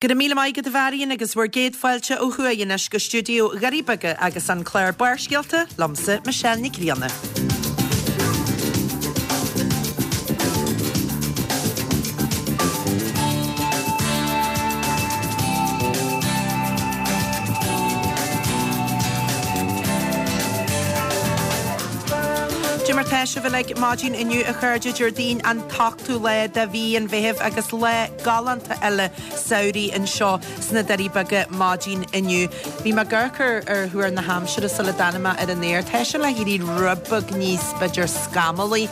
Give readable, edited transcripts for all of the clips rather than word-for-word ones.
Go raibh míle maith agat a Mharion agus bhur gcéad fáilte ó thuaidh anois go stiúideo Dhoirí Beaga agus an clár Barrscéalta liomsa Michelle Nic Grianna. Cad é mar tá sibh uilig maidin inniu a chairde Déardaoin an t-ochtú lá de mhí an Mheithimh agus lá galánta eile samhraidh anseo sna Doirí Beaga maidin inniu. Bhí mé ag amharc ar ar thuar na haimsire sula dtáinig mé ar an aer. Tá sé le héirí rud beag níos, b'fhéidir, scamallaí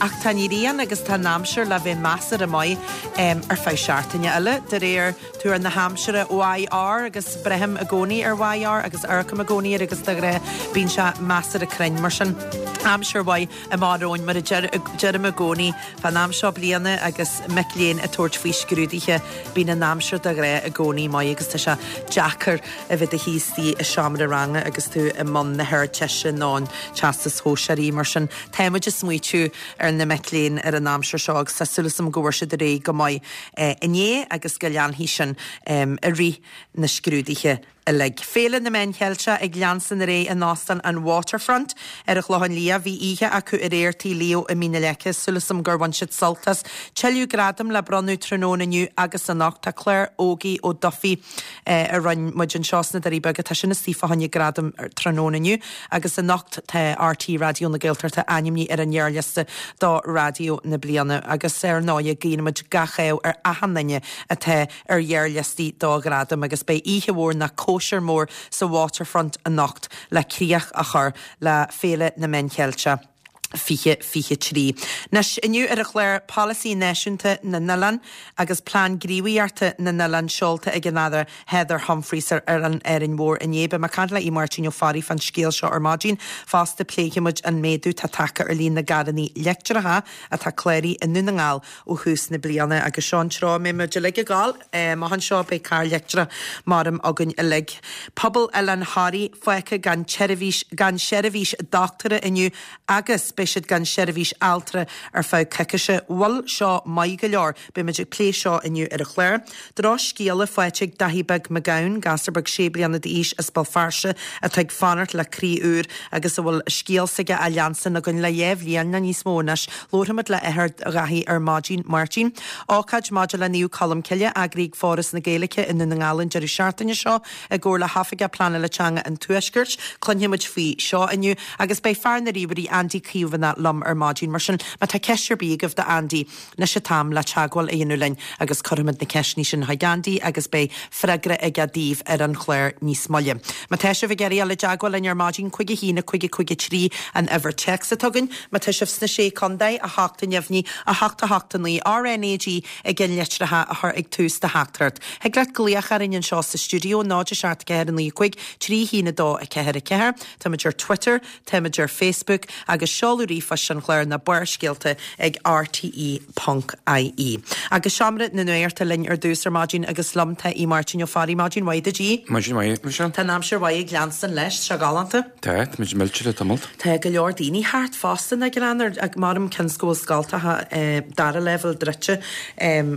ach tá an ghrian agus tá an aimsir le bheith measartha maith ar feadh seachtaine eile, de réir tuar na haimsire YR agus braithim i gcónaí ar YR agus amharcaim i gcónaí air agus de ghnáth bíonn sé measartha cruinn. Mar sin, aimsir mhaith amach romhainn mar a deirim i gcónaí. Fán am seo bliana agus mic léinn ag tabhairt faoi scrúduithe, bíonn an aimsir de ghnáth i gcónaí maith agus tá sé deacair a bheith i do shuí istigh i seomra ranga agus tú i mbun na hArdteiste nó an Teastais Shóisearaigh. Mar sin, tá muid ag smaoitiú ar na mic léinn ar an aimsir seo agus tá súil agam go bhfuair siad ar aghaidh go maith inné agus go leanfaidh sin i rith na scrúduithe. uilig. Féile na Meán Cheilteach ag leanstan ar aghaidh in Óstán an Waterfront ar an Chlochán Liath. Bhí oíche acu aréir Tigh Leo i Mín na Leice. Súil agam gur bhain siad sult as. Tuilleadh gradam le bronnadh tráthnóna inniu agus anocht. Tá clár Ógie Ó Dufaigh a rinne muid anseo sna Doirí Beaga, tá sin istigh fá choinne gradam tráthnóna inniu agus anocht tá RTÉ Raidió na Gaeltachta ainmnithe ar an ngearrliosta do Raidió na Bliana agus ar ndóigh guíonn muid gach ádh ar achan duine atá ar ghearrliostaí do ghradaim agus beidh oíche mhór nó cóisir mhór sa Waterfront anocht le críoch a chur le Féile na Meán Cheilteach 2023. Anois, inniu ar an chlár, Polasaí Náisiúnta na nOileán agus Plean Gníomhaíochta na nOileán seolta ag an Aire Heather Humphreys ar Oileán Árainn Mhór inné. Beidh mé ag caint le Aodh Máirtín Ó Fearraigh fán scéal seo ar maidin. Fosta pléifidh muid an méadú atá tagtha ar líon na gcarrannaí leictreacha atá cláraithe i nDún na nGall ó thús na bliana agus seo an treo a mbeidh muid uilig ag gabháil. Amach anseo beidh carr leictreach maram againn uilig. Pobal Oileán Thoraí fágtha gan tseirbhís gan seirbhís dochtúra inniu agus beidh siad gan seirbhís altra ar feadh coicise. Bhfuil seo maith go leor? Beidh muid ag plé seo inniu ar an chlár. Drochscéala faighte ag Daithí Beag Mac Gabhann, gasúr beag sé bliana d'aois as Béal Feirste atá ag fanacht le croí úr agus a bhfuil a scéal s'aige á leanstan againn le dhá bhliain nó níos mó anois. Labharfaimid le athair Dhaithí ar maidin, Máirtín. Ócáid maidir le Naomh Colm Cille eagraithe ag Foras na Gaeilge i nDún na nGall an deireadh seachtaine seo i gcomhar le hOifigeach Pleanála Teanga an Tuaiscirt. Cluinfimid faoi seo inniu agus beidh fear na ríomhairí Andy Caomhánach liom ar maidin. Mar sin, má tá ceist ar bith agaibh do Andy, Anois an t-am le teagmháil a dhéanamh linn agus cuirfimid na ceisteanna sin chuig Andy agus beidh freagra aige daoibh ar an chlár níos moille. Má tá sibh ag iarraidh dul i dteagmháil linn ar maidin, 5 1 5 5 3 an uimhir téacs atá againn. Má tá sibh sna Sé Contae, 8 a neamhní, 8 8 9, RnaG i gceannlitreacha a chur ag tús do theachtaireacht. Thig leat glaoch orainn anseo sa stiúideo, 0 7 4 9 5 3 1 2 4 4. Táimid ar Twitter. Táimid ar Facebook agus seoladh ríomhphoist an chláir ná Barrscéalta ag rte ponc ie. Agus Seomra na Nuachta linn ar dtús ar maidin agus liom tá Aodh Máirtín Ó Fearraigh. Maidin mhaith duit Aodh. Maidin mhaith, Michelle. Tá an aimsir mhaith ag leanstan leis, tá sé galánta. Tá, táimid millte le tamalt. Tá go leor daoine thart fosta ná glan ar maram cionn 's go bhfuil scoltacha dara leibhéal druidte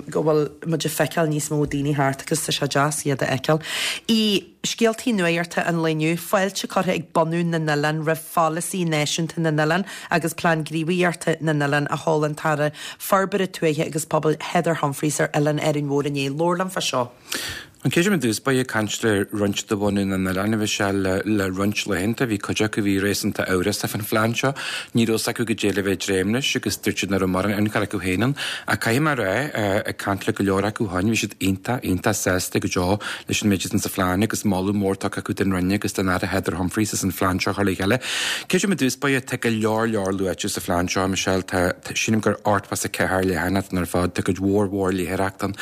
go bhfuil muid ag feiceáil níos mó daoine thart agus tá sé deas iad a fheiceáil. I. Scéaltaí nuachta an lae inniu, fáilte curtha ag bunú na n-oileán roimh pholasaí náisiúnta na n-oileán agus plean gníomhaíochta na n-oileán a sheol an tAire Forbartha Tuaithe agus Pobail Heather Humphreys ar Oileán Árainn Mhór inné. Labhair liom fá seo. An chéad rud i dtús báire ag caint le roinnt de bhunadh na n-oileán a bhí sé le le roinnt laethanta. Bhí cuid acu a bhí réasúnta amhrasach fán phlean seo. Ní raibh 's acu goidé le bheith ag dréim leis agus dúirt siad nach raibh mórán ionchur acu féin ann. Ach caithfidh mé a rá, ag caint le go leor acu ó shin, bhí siad iontach, iontach sásta go deo leis an méid atá sa phlean agus moladh mór tugtha acu don Roinn agus don Aire Heather Humphreys as an phlean seo a chur le chéile. Creidim i dtús báire, tá go leor leor luaite sa phlean seo, Michelle, tá, sílim gur 84 leathanach ann ar fad, tá cuid mhór mhór léitheoireacht ann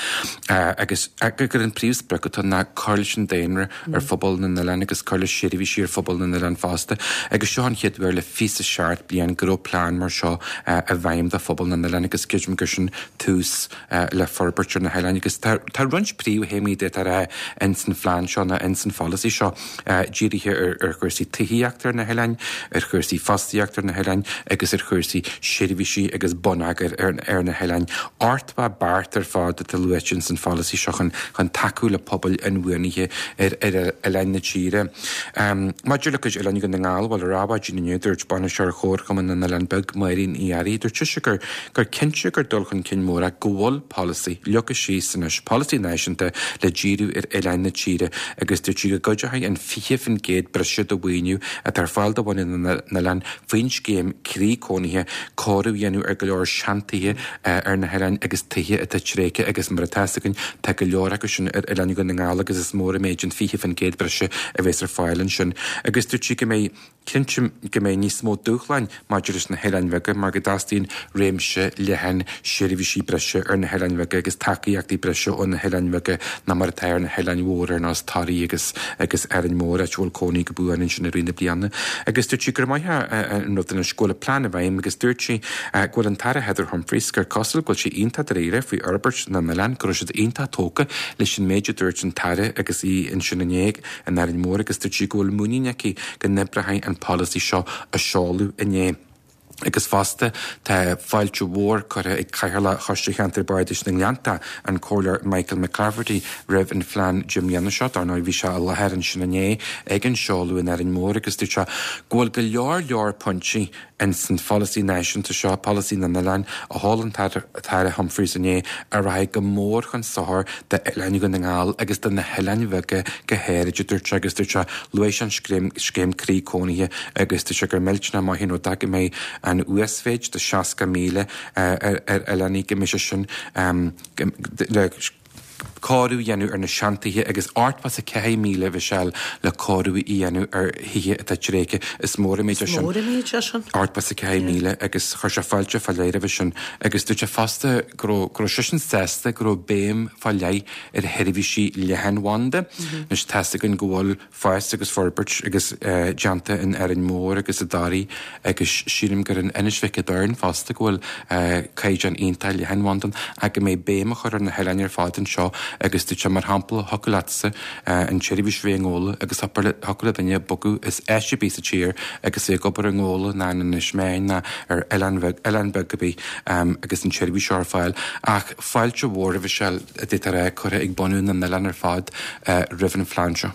agus gur an príomhsprioc. sprioc atá ann ná cur leis an daonra ar phobal na n-oileán agus cur le seirbhísí ar phobal na n-oileán fosta. Agus seo an chéad uair le 27 bliain go raibh plean mar seo i bhfeidhm do phobal na n-oileán agus creidim gur sin tús le forbairt ar na hoileáin. Agus tá roinnt príomhthéamaí d'fhéadfá a rá ins an phlean seo nó ins an pholasaí seo dírithe ar chúrsaí tithíochta ar na hoileáin, ar chúrsaí fostaíochta ar na hoileáin agus ar chúrsaí seirbhísí agus bonneagair ar na hoileáin. 80 beart ar fad atá luaite ins an pholasaí seo chun chun tacú le pobail inbhuanaithe ar oileáin na tíre. Maidir le cuid oileáin Dhún na nGall, bhuel ar Adhmhaidin inniu dúirt Bainisteoir Chomharchumann na nOileán Beag, Máirín Uí Fhearraigh, dúirt sise gur gur cinnte gur dul chun cinn mór é go bhfuil polasaí leagtha síos anois, polasaí náisiúnta le díriú ar oileáin na tíre agus dúirt sí go gcuideoidh an 20% breise de mhaoiniú atá ar fáil do bhunadh na n-oileán faoin scéim Croí Cónaithe cóiriú a dhéanamh ar go leor seantithe ar na hoileáin agus tithe atá tréigthe agus mar atá fhios againn tá go leor acu sin ar oileáin Dhún na nGall agus is mór an méid an 20% breise a bheas ar fáil ansin agus dúirt sí go mbeidh Cinnte go mbeidh níos mó dúshláin maidir leis na hoileáin bheaga mar go dteastaíonn réimse leathan seirbhísí breise ar na hoileáin bheaga agus tacaíochtaí breise ó na hoileáin bheaga ná mar atá ar na hoileáin mhóra ar nós Toraí agus agus Árainn Mhór, áit a bhfuil cónaí go buan ansin i rith na bliana. Agus dúirt sí gur maith an rud anois go bhfuil an plean i bhfeidhm agus dúirt sí go bhfuil an tAire Heather Humphreys gur cosúil go bhfuil sí iontach dáiríre faoi fhorbairt na n-oileán, go raibh siad iontach tógtha leis an méid a dúirt an tAire agus í ansin inné. in Árainn Mhór agus dúirt sí go bhfuil muinín aici go n-oibreoidh an polasaí seo a seoladh inné. Agus fosta, tá fáilte mhór curtha ag Cathaoirleach Choiste Cheantar Bardais na nGleannta, an Comhairleoir Michael McClafferty, roimh an phlean 10 mbliana seo. Dar ndóigh, bhí sé i láthair ansin inné ag an seoladh in Árainn Mhór agus dúirt sé go bhfuil go leor leor pointí Ins an pholasaí náisiúnta seo, polasaí na n-oileán, a sheol an tAire Humphreys inné, a rachaidh go mór chun sochair d'oileáin Dhún na nGall agus do na hoileáin bheaga go háirid, a dúirt sé, agus dúirt sé, luaigh sé an scéim, scéim Croí Cónaithe agus dúirt sé gur millteanach maith an rud é go mbeidh an uasmhéid de 60,000 ar oileáin, go mbeidh sé sin le cóiriú a dhéanamh ar na seantithe agus 84,000 a Mhichelle le cóiriú a dhéanamh ar thithe atá tréigthe. Is mór an méid é sin. Is mór an méid é sin. 84,000 agus chuir sé fáilte fá leith roimhe sin agus dúirt sé fosta go raibh go raibh seisean sásta go raibh béim fá leith ar sheirbhísí leathanbhanda. Anois tá's againn go bhfuil fás agus forbairt agus déanta in Árainn Mhór agus i dToraí agus sílim gur in Inis Mhic an Doirn fosta go bhfuil caighdeán iontach leathanbhanda ann ach go mbeidh béim á chur ar na hoileáin ar fad anseo agus dúirt sé mar shampla thiocfadh leatsa an tseirbhís a bheith i nGabhla agus thiocfadh le duine bogadh as áit ar bith sa tír agus é ag obair i nGabhla ná in Inis Meáin ná ar oileán bheag oileán beag ar bith agus an tseirbhís seo ar fáil ach fáilte mhór a Mhichelle a d'fhéadfá a rá curtha ag bunadh na n-oileán ar fad roimh an phlean seo.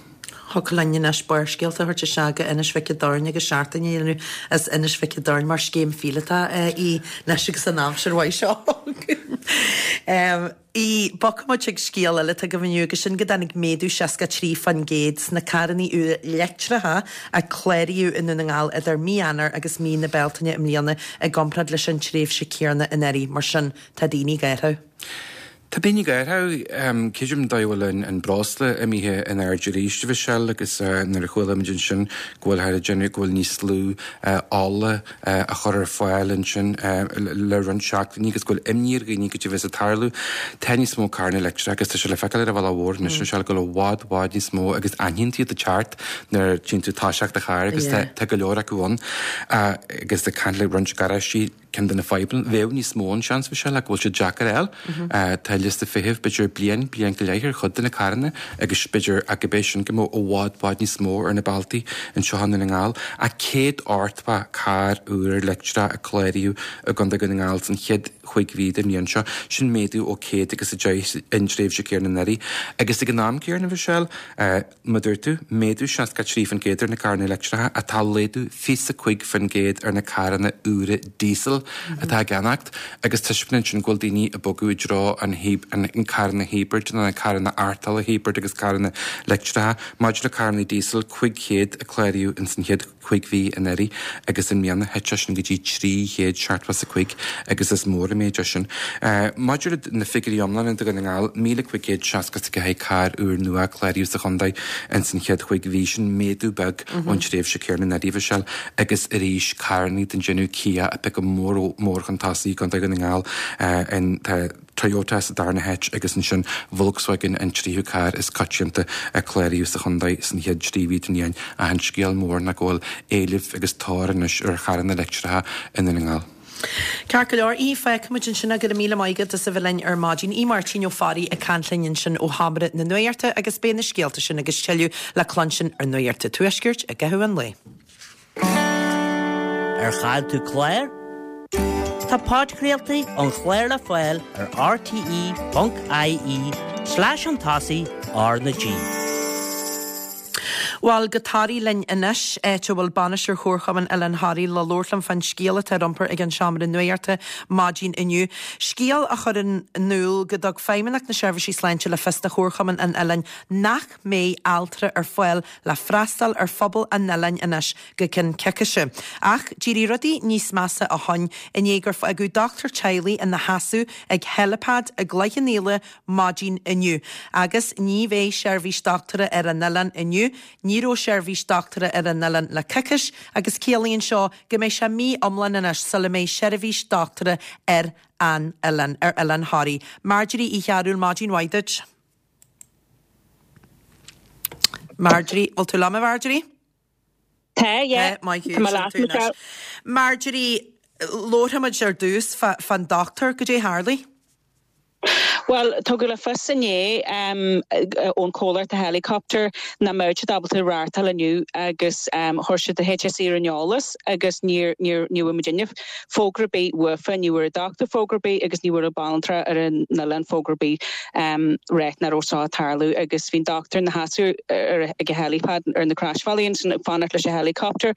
Thiocfadh linn anois Barrscéalta a thabhairt isteach go Inis Mhic an Doirn agus seachtain a dhéanamh as Inis Mhic an Doirn mar scéim phíolótach í anois agus an aimsir mhaith seo againn. Í, Bogfaidh muid chuig scéal eile atá agaibh inniu agus sin go dtáinig méadú 63% sna carranna úra leictreacha a cláraíodh i nDún na nGall idir mí Eanáir agus mí na Bealtaine i mbliana i gcomparáid leis an tréimhse céanna anuraidh. Mar sin, Tá daoine ag athrú. Tá daoine ag athrú. Creidim an dóigh a bhfuil an breosla imithe in airde arís, a Mhichelle, agus nuair a chuala muid ansin go bhfuilthear ag déanamh go bhfuil níos lú ola á chur ar fáil ansin le roinnt seachtainí agus go bhfuil imní ar dhaoine goidé a bheas ag tarlú. Tá níos mó carranna leictreacha agus tá sé le feiceáil ar an bhealach mhór anois, Michelle, go bhfuil i bhfad, bhfad níos mó agus aithníonn tú iad ag teacht nuair a tchíonn tú toiseacht do chairr agus tá go leor acu ann agus ag caint le roinnt garáistí Ceann de na fadhbanna, bheadh níos mó ann seans, Michelle, ach go bhfuil siad deacair a fháil. Tá liosta feithimh b'fhéidir bliain, bliain go leith ar chuid de na carranna agus b'fhéidir ach gurb é sin go mbeadh i bhfad, bhfad níos mó ar na bealtaí anseo i nDún na nGall. Ach 180 carr úr leictreach a cláraíodh i gContae Dhún na nGall san chéad chúig mhí den bhliain seo, sin méadú ó 110 an tréimhse céanna anuraidh. Agus ag an am céanna, Michelle, Mar a dúirt tú, méadú 63% ar na carranna leictreacha ach tá laghdú 25% ar na carranna úra díosail atá á gceannacht agus taispeánann sin go bhfuil daoine ag bogadh i dtreo an an carranna hibrid nó na carranna artála hibrid agus carranna leictreacha. Maidir le carranna díosail, 500 a cláraíodh ins an chéad. chúig mhí anuraidh agus i mbliana thit sé sin go dtí 375 agus is mór an méid é sin. Maidir le na figiúirí iomlána do Dhún na nGall, 1,564 carr úr nua a cláraíodh sa chontae ins an chéad chúig mhí, sin méadú beag ón tréimhse céanna anuraidh, a Mhichelle, agus arís carrannaí den déanamh Kia ag piocadh mór mór chun tosaigh i gContae Dhún na nGall. Tá Toyota sa darna háit agus ansin Volkswagen an tríú carr is coitianta a cláraíodh sa chontae san chéad trí mhí den bhliain. Ach an scéal mór ná go bhfuil éileamh agus tóir anois ar charranna leictreacha i nDún na nGall. Ceart go leor, Aodh, fágfaimid ansin é. Go raibh míle maith agat as a bheith linn ar maidin. Aodh Máirtín Ó Fearraigh ag caint linn ansin ó Sheomra na Nuachta agus beidh na scéalta sin agus tuilleadh le cluinstin ar Nuacht an Tuaiscirt i gcaitheamh an lae. Ar chaill tú clár? Tá podchraoltaí an chláir le fáil ar rte.ie slash chun tosaigh R na G. Bhuel, go Toraigh linn anois, áit a bhfuil Bainisteoir Chomharchumann Oileán Thoraí le labhairt linn fán scéal atá ar iompar ag an Seomra Nuachta maidin inniu. Scéal a chuireann in iúl go dtug Feidhmeannacht na Seirbhísí Sláinte le fios do Chomharchumann an Oileáin nach mbeidh altra ar fáil le freastal ar phobal an oileáin anois go ceann coicíse. Ach d'éirigh rudaí níos measa ó shoin i ndiaidh gur fágadh dochtúir teaghlaigh ina sheasamh ag helipad i gCloich Cheann Fhaola maidin inniu. Agus ní bheidh seirbhís dochtúra ar an oileán inniu, ní raibh seirbhís dochtúra ar an oileán le coicís agus ciallaíonn seo go mbeidh sé mí iomlán anois sula mbeidh seirbhís dochtúra ar an oileán, ar Oileán Thoraí. Marjorie Uí Chearúil, maidin mhaith duit. Marjorie, bhfuil tú liom a Mharjorie? Tá, yeah. Tá, maith thú, Tá mé sin leat, tú anois. Michelle. Marjorie, labharfaimid ar dtús fán dochtúir, goidé a tharlaigh? Bhuel, tugadh le fios inné ón chomhlacht helicopter nach mbeadh siad ábalta reáchtáil inniu agus chuir siad an HSE ar an eolas agus níor níor ní bhfuair muidinne fógra ar bith uafa, ní bhfuair an dochtúir fógra ar bith agus ní bhfuair an banaltra ar an oileán fógra ar bith ráit nach raibh seo ag tarlú agus bhí an dochtúir ina sheasamh ar ag an helipad ar na croisbhealaí ansin ag fanacht leis an helicopter.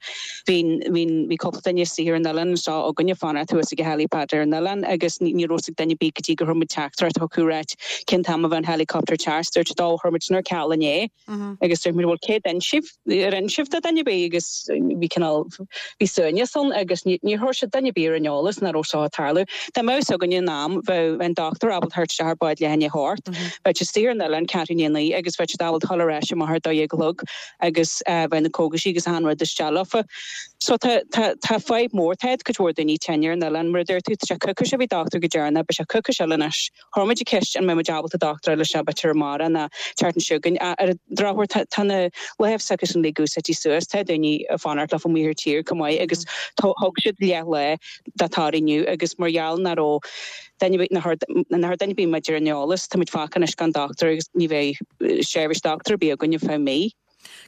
Bhí bhí bhí cúpla duine istigh ar an oileán anseo againn ag fanacht thuas ag an helipad ar an oileán agus ní ní raibh fhios ag duine ar bith go dtí gur chuir muid teachtaireacht chucu ráit cén t-am a bheadh an helicopter ag teacht. Dúirt siad ó chuir muid sin ar ceal inné. Agus dúirt muid bhuel cé d'inis sibh, ar inis sibh do dhuine ar bith agus bhí cineál, bhí suaimhneas ann agus níor chuir siad duine ar bith ar an eolas nach raibh seo ag tarlú. Dá mbeadh fhios againne in am, bheadh an dochtúir ábalta theacht isteach ar bád leath i ndiaidh a hocht, bheadh siad istigh ar an oileán ceathrú i ndiaidh a naoi agus bheadh siad ábalta dhul ar ais amach ar a 12 a chlog agus bheadh na cógaisí agus achan rud isteach leofa. So tá, tá, tá fadhb mór, tá cuid mhór daoine tinn ar an oileán, mar a dúirt tú, tá sé coicís ó bhí dochtúir go deireanach, beidh sé coicís eile anois. Chuir muid an cheist an mbeidh muid ábalta dochtúir a fháil isteach b'fhéidir amárach nó an tseachtain seo chugainn. Ar an drochuair tá tá na láimh s'acusan uilig úsáidte suas. Tá daoine ag fanacht leofa amuigh ar tír chomh maith agus thug siad leath lá do Thoraigh inniu agus mar gheall nach raibh duine ar bith nach raibh duine ar bith muid ar an eolas tá muid fágtha anois gan dochtúir agus ní bheidh seirbhís dochtúir ar bith againn ar feadh mí.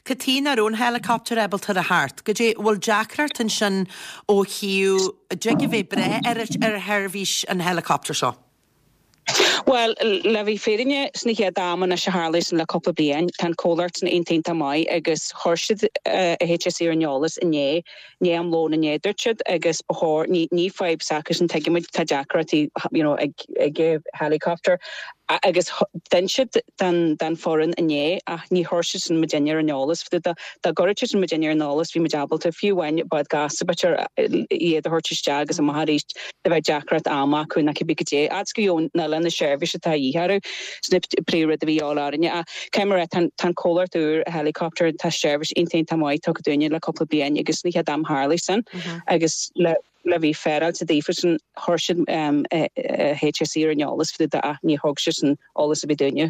Cad chuige nach raibh an helicopter ábalta a theacht? Goidé, bhfuil deacracht ansin ó thaobh, dtig a bheith breith ar ar sheirbhís an helicopter seo? Bhuel, le bheith fírinne, sna chéad am anois a tharlaigh sin le cúpla bliain, tá an comhlacht sin iontach iontach maith agus chuir siad an HSE ar an eolas inné, i ndiaidh am lóin inné dúirt siad agus ba chóir, ní ní fadhb s'acusan tuigimid tá deacrachtaí you know ag ag helicopter agus d'inis siad don don foireann inné ach ní chuir siad sin muidinne ar an eolas dá dá gcuirfeadh siad sin muidinne ar an eolas bhí muid ábalta fiú amháin bád gasta b'fhéidir iad a thabhairt isteach agus amach arís dá mbeadh deacracht ama acu nó cibé goidé fhad is go gheobhadh an oileán na seirbhís atá a dhíth orthu sin an príomhrud a bhí a dhíobháil orainne ach Caithfidh mé a rá, tá an comhlacht úr helicopter, tá seirbhís iontach iontach maith tugtha dúinne le cúpla bliain agus ní chéad am tharlaigh sin agus le le bheith féaráilte daofa sin chuir siad HSE ar an eolas fá dtaobh de ach níor thug siad sin eolas ar bith dúinne.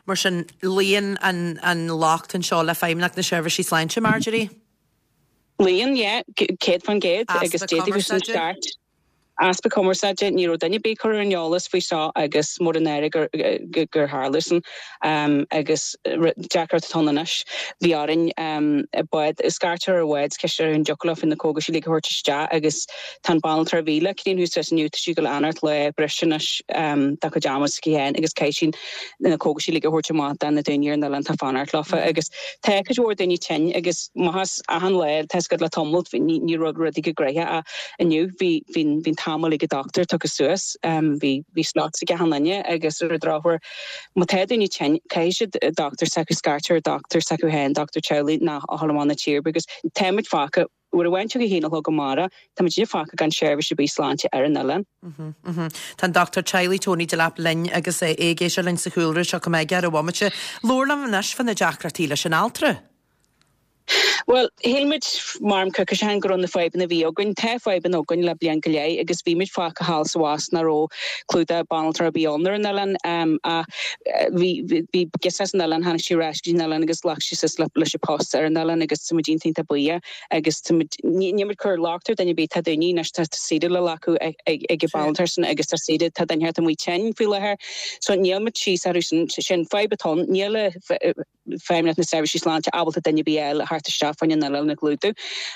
Mar sin, luíonn an locht anseo le Feidhmeannacht na Seirbhísí Sláinte, Marjorie? Luíonn, yeah, 100% agus Easpa d'fhéadfadh sin cumarsáide? ceart. Easpa cumarsáide, ní raibh duine ar bith curtha ar an eolas faoi seo agus mór an náire gur gur tharla sin agus deacracht atá ann anois. Bhí orainn bád, scairt ar bhád is ceist orthu an dtiocfadh leo na cógais uilig a thabhairt isteach agus tá an banaltra a bhí le Ciarán thuas inniu, tá sí ag dul a fhanacht lá breise anois dá cuid ama s'aici féin agus caithfidh sí na cógaisí uilig a thabhairt amach do na daoine ar an oileán atá ag fanacht leofa agus tá cuid mhór daoine tinn agus maitheas achan lá tá 'fhios agat le tamalt ní raibh rudaí go gnoitheach ach inniu bhí bhí an. t-am uilig ag dochtúir tugtha suas. Bhí bhí slots ag achan duine agus ar an drochuair má tá daoine tinn caithfidh siad dochtúir s'acu scairt ar dochtúir s'acu féin, dochtúir teaghlaigh nó a dhul amach na tíre because tá muid fágtha Uair amháin ag a haon a chlog amárach, tá muid uilig fágtha gan seirbhís ar bith sláinte ar an oileán. Tá an Dochtúir Teaghlaigh Tony Delap linn agus é ag éisteacht linn sa chúlra seo go mbeidh ar an bhomaite. Labhair liom anois fá na deacrachtaí leis an altra. Bhuel, shíl muid mar coicís ó shin go raibh na fadhbanna a bhí againn. Tá fadhbanna againn le bliain go leith agus bhí muid fágtha thall is abhus nach raibh clúdach banaltra ar bith ann ar an oileán ach bhí bhí girseach as an oileán, tháinig sí ar ais go dtí an oileán agus ghlac sí suas leis an post ar an oileán agus tá muid iontach iontach buíoch agus tá muid, níl muid ag cur locht ar duine ar bith, tá daoine anois, tá saoire le glacadh ag an banaltra sin agus tá saoire, tá duine inteacht amuigh tinn faoi láthair so níl muid síos orthu sin, sin fadhb atá ann, níl Feidhmeannacht na Seirbhísí Sláinte ábalta duine ar bith eile a theacht isteach fá choinne an oileán a chlúdú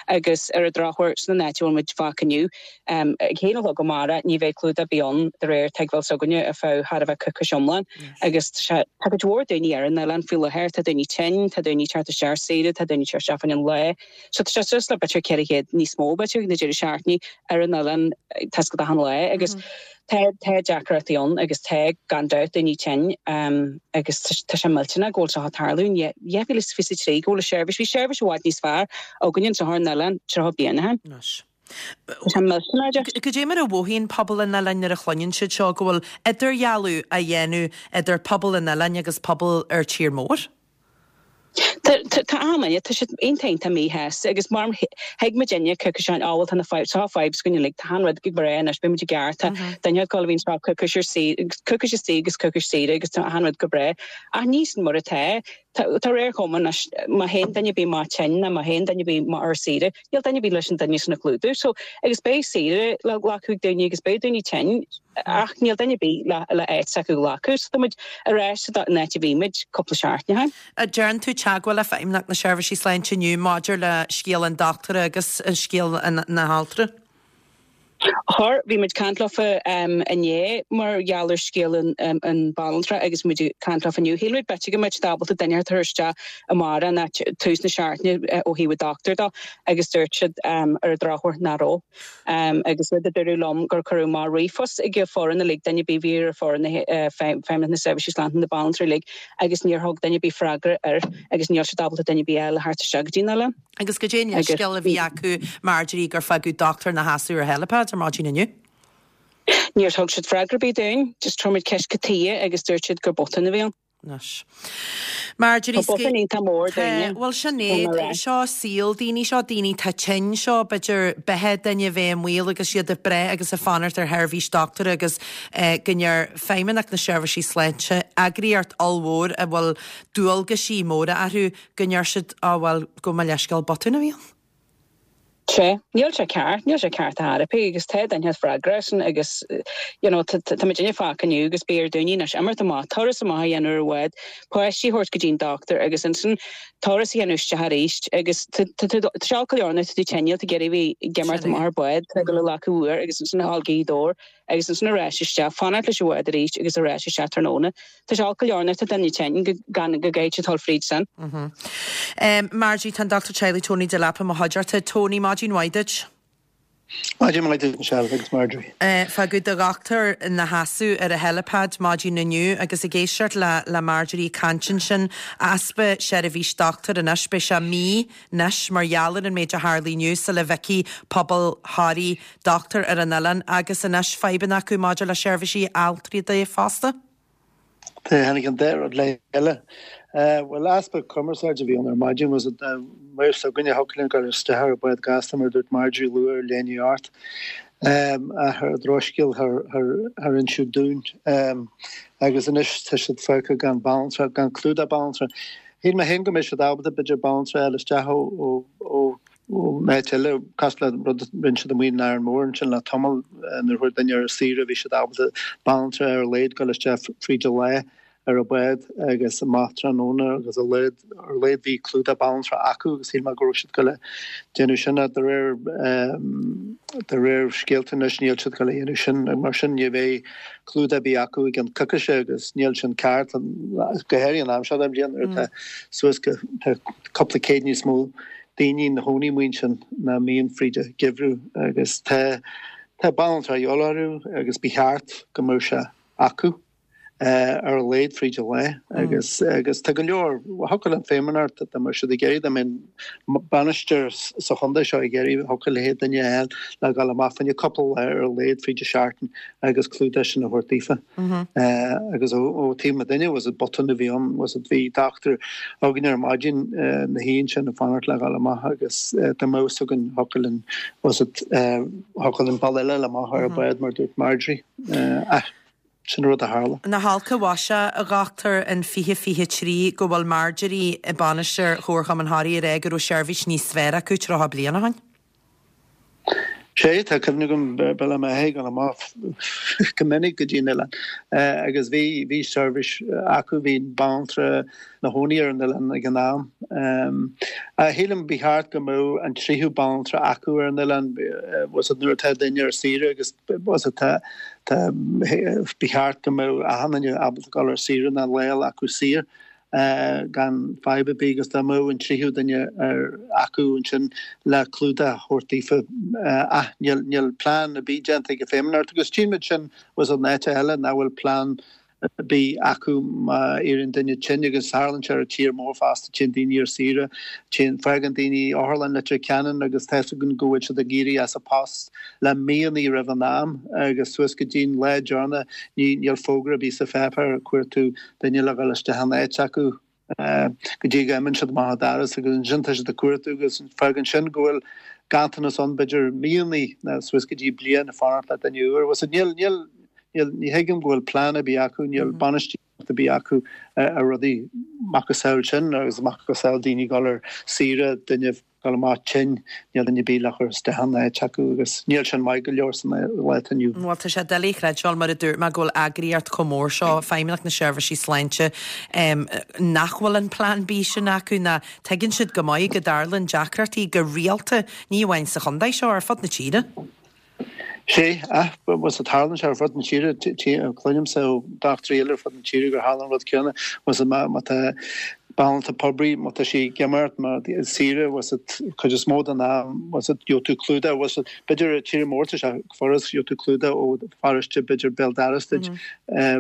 agus ar an drochuair san áit a bhfuil muid fágtha inniu, ag a haon a chlog amárach ní bheidh clúdach ar bith ann de réir tuigbheáil s'againne ar feadh chóir a bheith coicís iomlán agus tá sé, tá cuid mhór daoine ar an oileán faoi láthair, tá daoine tinn, tá daoine ag teacht isteach ar saoire, tá daoine ag teacht isteach fá choinne an lae so tá sé suas le b'fhéidir 400 níos mó b'fhéidir na deireadh seachtaine ar an oileán tá 's agat achan lá agus Tá, tá deacrachtaí ann agus tá, gan dabht, daoine tinn agus tá sé millteanach go bhfuil seo ag tarlú in 2023, go bhfuil an seirbhís, bhí seirbhís i bhfad níos fearr againn anseo ar an oileán 30 bliain ó shin. Anois. Tá sé millteanach just. Cad é mar a mhothaíonn pobal an oileáin nuair a chluineann siad seo, go bhfuil idirdhealú á dhéanamh idir pobal an oileáin agus pobal ar tír mór? Tá achan duine, tá siad iontach iontach míshásta agus mar thuig muid inne coicís ó shin, á bhuel tá na fadhb, seo fadhb s'againn uilig, tá achan rud go breá anois, beidh muid i gceart, tá duine ag gabháil a bhí anseo coicís ar saoire, coicís istigh agus coicís saoire agus tá achan rud go breá. Ach ní sin mar atá. Tá ar chuma anois, má théann duine ar bith amach tinn nó má théann duine ar bith amach ar saoire, níl duine ar bith leis an duine sin a chlúdú. So, agus beidh saoire le glacadh ag daoine agus beidh daoine tinn ach níl duine ar bith le le áit s'acu a ghlacadh. So tá muid ar ais san áit a bhí muid cúpla seachtain ó shin. An ndearna tú teagmháil le Feidhmeannacht na Seirbhísí Sláinte inniu maidir le scéal an dochtúra agus scéal na haltra? Chuir, bhí muid ag caint leofa inné mar gheall ar scéal an banaltra agus muid ag caint leofa inniu. Shíl muid b'fhéidir go mbeadh siad ábalta duine a chur isteach amárach nó tús na seachtaine ó thaobh an dochtúir dó agus dúirt siad ar an drochuair nach raibh. Agus rud a dúradh liom gur cuireadh amach ríomhphost ag an foireann uilig, duine ar bith a bhí ar foireann Feidhmeannacht na Seirbhísí Sláinte na banaltraí uilig agus níor thug duine ar bith freagra air agus níl siad ábalta duine ar bith eile a theacht isteach go dtí an oileán. Agus goidé an leithscéal a bhí acu Marjorie gur fágadh dochtúir ina sheasamh ar helipad ar maidin inniu? Níor thug siad freagra ar bith dúinn, just chuir muid ceist cad chuige agus dúirt siad gur botún a bhí ann. Anois. Marjorie, Tá botún iontach mór Tá, dúinne. bhuel sin é, seo saol daoine, seo daoine atá tinn, seo b'fhéidir beatha duine a bheith i mbaol agus iad ag brath agus ag fanacht ar sheirbhís dochtúra agus go ndeir Feidhmeannacht na Seirbhísí Sláinte, eagraíocht ollmhór a bhfuil dualgaisí móra orthu, Go ndeir siad, Á bhuel, gabh mo leithscéal, botún a bhí ann. Sea, níl sé ceart, níl sé ceart ar chor ar bith agus tá duine freagrach as sin agus you know tá muidinne fágtha inniu agus beidh ar daoine anois imeacht amach, turas amach a dhéanamh ar an bhád, páistí a thabhairt go dtí an dochtúir agus ansin turas a dhéanamh isteach arís agus tá sé olc go leor nuair atá tú tinn, níl tú ag iarraidh a bheith ag imeacht amach ar bád, tá tú ag dul a ghlacadh uair agus ansin a dhul go Gaoth Dobhair agus ansin ar ais isteach, fanacht leis an bhád arís agus ar ais isteach tráthnóna. Tá sé olc go leor nuair atá duine tinn go gan go gcaithfidh siad dul fríd sin. Marjorie, tá an Dochtúir Teaghlaigh Tony Delap i mo chuideachta. Tony, maidin mhaith duit. Maidin mhaith duit Michelle agus Marjorie. Fágadh do dhochtúir ina sheasamh ar an helipad maidin inniu agus ag éisteacht le le Marjorie ag caint ansin, easpa seirbhís dochtúir anois, beidh sé mí anois mar gheall ar an méid a tharlaigh inniu sula bhfeicfidh pobal Thoraí dochtúir ar an oileán agus anois fadhbanna acu maidir le seirbhísí altraí de fosta. Tháinig an dá rud le chéile. Bhuel, easpa cumarsáide a bhí ann ar maidin. Was it maor s'againne a thiocfadh linn dul isteach ar an bhád gasta mar a dúirt Marjorie luath ar leath i ndiaidh a hocht. Ach ar drochscéal char inseadh dúinn. Agus anois tá siad fágtha gan banaltra, gan clúdach banaltra. Shíl mé féin go mbeidh siad ábalta b'fhéidir banaltra a fháil isteach ó Ón áit eile, cosúil le rud a rinne siad amuigh in Árainn Mhór ansin le tamall, nuair a chuaigh duine ar saoire bhí siad ábalta banaltra ar a laghad dul isteach fríd an lá ar an bhád agus amach tráthnóna agus a laghad, ar a laghad bhí clúdach banaltra acu agus shíl mé go raibh siad ag dul a déanamh sin ach de réir, de réir scéalta anois níl siad ag dul a dhéanamh sin mar sin ní bheidh clúdach ar bith acu i gceann coicíse agus níl sin ceart, go háirithe an am seo den bhliain nuair atá suas go, tá cúpla céad níos mó daoine ina chónaí amuigh ansin ná mbíonn fríd an gheimhreadh agus tá. Tá banaltra a dhíobháil orthu agus ba cheart go mbeadh sé acu ar a laghad fríd an lá agus agus tá go leor, thiocfadh le Feidhmeannacht dá mbeadh siad ag iarraidh, dá mbeadh an bainisteoir sa chontae seo ag iarraidh, thiocfadh léi duine a fháil le dhul amach fá choinne cúpla lá ar a laghad fríd an seachtain agus clúdach sin a thabhairt daofa. Agus ó taobh mo duine, was it botún a bhí ann, was it bhí dochtúir againn ar maidin ina shuí ansin ag fanacht le dhul amach agus dá mbeadh fhios againn thiocfadh linn, was it, thiocfadh linn bealach eile a fháil amach ar an bhád mar dúirt Marjorie. Ah, sin an rud a tharla. Nach olc an mhaise, a dhochtúir, in 2023 go bhfuil Marjorie bainisteoir Chomharchumann Thoraí ag rá go raibh seirbhís níos fearr acu 30 bliain ó shin. Sea, tá cuimhne agam b'fhéidir mé ag dul amach go minic go dtí an oileán agus bhí, bhí seirbhís acu, bhí banaltra ina chónaí ar an oileán ag an am. Shílim ba cheart go mbeadh an tríú banaltra acu ar an oileán, was it nuair atá duine ar saoire agus was it tá, tá, ba cheart go mbeadh achan duine ábalta dul ar saoire nó lá acu saor. gan fadhb ar bith agus dá mbeadh an tríú duine ar acu ansin le clúdach a thabhairt daofa ach níl níl plean ar bith déanta ag an Feidhmeannacht agus tchímid sin was in áiteacha eile nach bhfuil plean ar bith acu má éiríonn duine tinn agus tharlaíonn sé ar an tír mór fosta téann daoine ar saoire téann fágann daoine otharlann Leitir Ceanainn agus tá fhios againn go bhfuil siad ag éirí as a post le míonna roimh an am agus suas go dtí'n lá deireanach ní níl fógra ar bith sa pháipéar ag cuartú duine le dhul isteach in áit acu go dtí go n-imíonn siad amach an doras agus ansin tá siad ag cuartú agus fágann sin go bhfuil ganntanas ann b'fhéidir míonna nó suas go dtí bliain ag fanacht le duine úr. Bhuel níl, níl, níl, ní thuigim go bhfuil plean ar bith acu, níl bainistíocht ar bith acu ar rudaí macasamhail sin agus macasamhail daoine ag dul ar saoire, duine dul amach tinn, níl duine ar bith le cur isteach in áit acu agus níl sin maith go leor san lá atá inniu. Bhuel, tá sé doiligh a chreidbheáil, mar a dúirt mé, go bhfuil eagraíocht chomh mór seo, Feidhmeannacht na Seirbhísí Sláinte, nach bhfuil an plean B sin acu, ná tuigeann siad go maith go dtarlaíonn deacrachtaí go rialta, ní amháin sa chontae seo, ar fud na tíre. Sea, ach was it tarlaíonn sé ar fud na tíre, cluinimse ó dochtúirí eile ar fud na tíre gur tharla an rud céanna, was it má tá banaltra poiblí, má tá sí ag imeacht mar saoire, was it cuid is mó den am, was it gheobhaidh tú clúdach, was it b'fhéidir i tír mór tá sé furast, gheobhaidh tú clúdach ó pharóiste b'fhéidir béal dorais duit,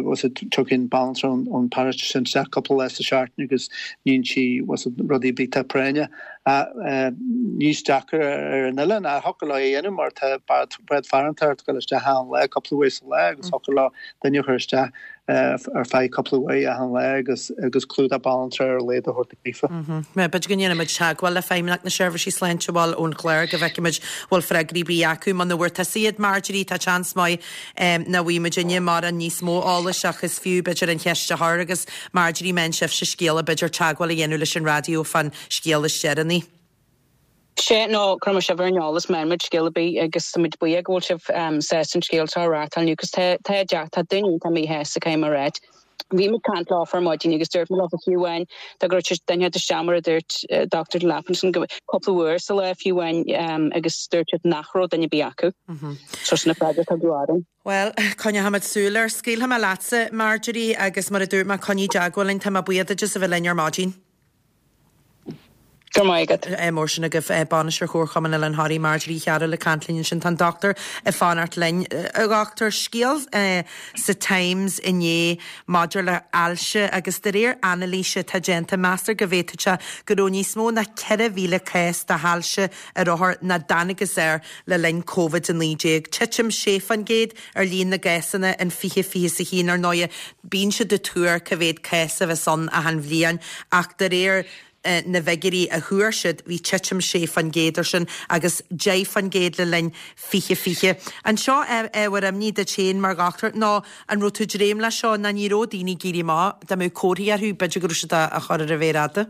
was it tiocfaidh banaltra ón paróiste sin isteach cúpla lá sa seachtain agus níonn sí was it rudaí ar bith atá práinneach. Níos deacra ar an oileán ach thiocfadh leo é a dhéanamh mar tá bád farantóireachta ag dul isteach achan lá cúpla uair sa lá agus thiocfadh leo duine a chur isteach ar feadh cúpla uair achan lá agus agus clúdach banaltra ar a laghad a thabhairt daofa. B'fhéidir go ndéanfaimid teagmháil le Feidhmeannacht na Seirbhísí Sláinte bhuel ón chlár go bhfeicfimid bhfuil freagraí ar bith acu. Muna bhfuair tusa iad Marjorie tá seans maith nach bhfaighidh muidinne mórán níos mó eolais ach is fiú b'fhéidir an cheist a chur agus Marjorie má fhaigheann sibhse scéala b'fhéidir teagmháil a dhéanamh leis an raidió fán scéal is deireanaí. Sea, nó cuirfidh muid sibh ar an eolas má fhaigheann muid scéal ar bith agus tá muid buíoch go bhfuil sibh sásta an scéal seo a reáchtáil inniu cos tá tá deach tá daoine iontach míshásta caithfidh mé a ráit. Bhí muid ag caint leofa ar maidin agus dúirt muid leofa fiú amháin dá go raibh duine inteacht isteach mar a dúirt Dr. Delap ansin go cúpla uair sa lá fiú amháin agus dúirt siad nach raibh duine ar bith acu. So sin an freagra a tugadh orainn. Bhuel, coinneochaimid súil air. Scaoilfidh mé leatsa, Marjorie, agus mar a dúirt mé, coinnigh i dteagmháil linn. Tá mé buíoch duit as a bheith linn ar maidin. Go raibh maith agat. Mór sin agaibh, Bainisteoir Chomharchumann Oileán Thoraí, Marjorie Uí Chearúil ag caint linn ansin. Tá an dochtúir ag fanacht linn. A dhochtúir, scéal sa Times inné maidir le hailse agus de réir anailíse atá déanta, meastar go bhféadfadh sé go raibh níos mó ná 4,000 cás de hailse ar othair nach dtángthas air le linn Covid-19. Titim 6% ar líon na gcásanna in 2021. Ar ndóighe, bíonn siad ag tuar cá mhéad cás a bheas ann achan bhliain ach de réir na bhfigiúirí a thuar siad, bhí titim 6% ar sin agus 10% le linn 2020. An seo ábhar imní duit féin mar dhochtúir nó an raibh tú ag dréim leis seo ná ní raibh daoine ag éirí amach, dá mbeadh comharthaí orthu, b'fhéidir go raibh siad á chur ar an mhéar fhada?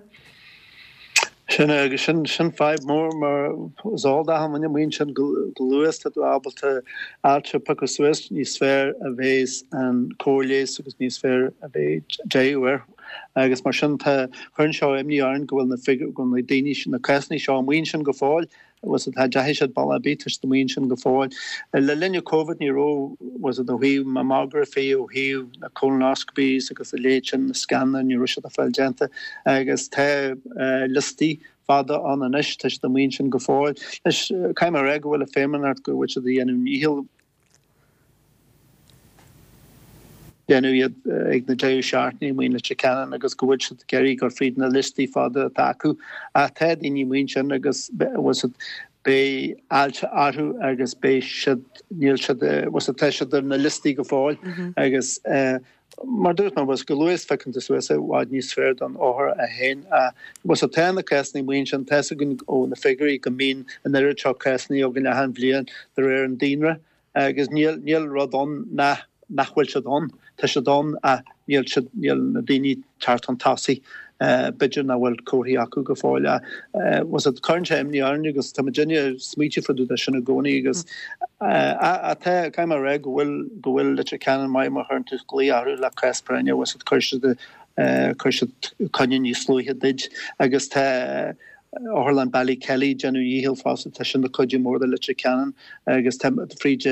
Sin é, agus sin, sin fadhb mór mar is eol d'achan duine amuigh ansin go luath is tá tú ábalta ailse a phiocadh suas, níos fearr a bheas an cóir leighis agus níos fearr a bheidh deireadh air. Agus mar sin tá, cuireann seo imní orainn go bhfuil na figiúirí, go bhfuil na daoine, na cásanna seo amuigh ansin go fóill was it, cha dteachaigh siad bealach ar bith, tá siad amuigh ansin go fóill. Le linn an Covid ní raibh, was it, ó thaobh mammography, ó thaobh na colonoscopies agus a leithéid sin, na scananna, ní raibh siad ag fáil déanta agus tá liostaí fada ann anois, tá siad amuigh ansin go fóill. Anois, caithfidh mé a rá go bhfuil an Feidhmeannacht go bhfuil siad ag déanamh a ndícheall. déanamh iad ag na deireadh seachtaine amuigh in Leitir Ceanainn agus go bhfuil siad ag iarraidh dul fríd na liostaí fada atá acu. Ach tá daoine amuigh ansin agus bhfuil siad beidh ailse orthu agus beidh siad níl siad bhfuil siad tá siad ar na liostaí go fóill agus mar dúirt mé bhfuil chomh luath is phiocann tú suas é i bhfad níos fearr don othar é féin ach bhfuil siad tá na cásanna amuigh ansin tá 'fhios againn ó na figiúirí go mbíonn an oiread seo cásanna againn achan bhliain de réir an daonra Agus níl, níl rud ann nach, nach bhfuil siad ann. Tá siad ann ach níl siad, níl na daoine ag teacht chun tosaigh. B'fhéidir nach bhfuil comharthaí acu go fóill ach bhfuil siad, cuireann sé imní orainn agus tá muidinne ag smaoitiú fá dtaobh de sin i gcónaí agus ach tá, caithfidh mé a rá go bhfuil, go bhfuil Leitir Ceanainn maith má chuireann tú glaoch orthu le cás práinne, bhfuil siad, cuirfidh siad, cuirfidh siad coinne níos luaithe duit agus tá, Otharlann Ballykelly ag déanamh a dhícheall fosta, tá sin ag cuidiú mór do Leitir Ceanainn agus tá fríd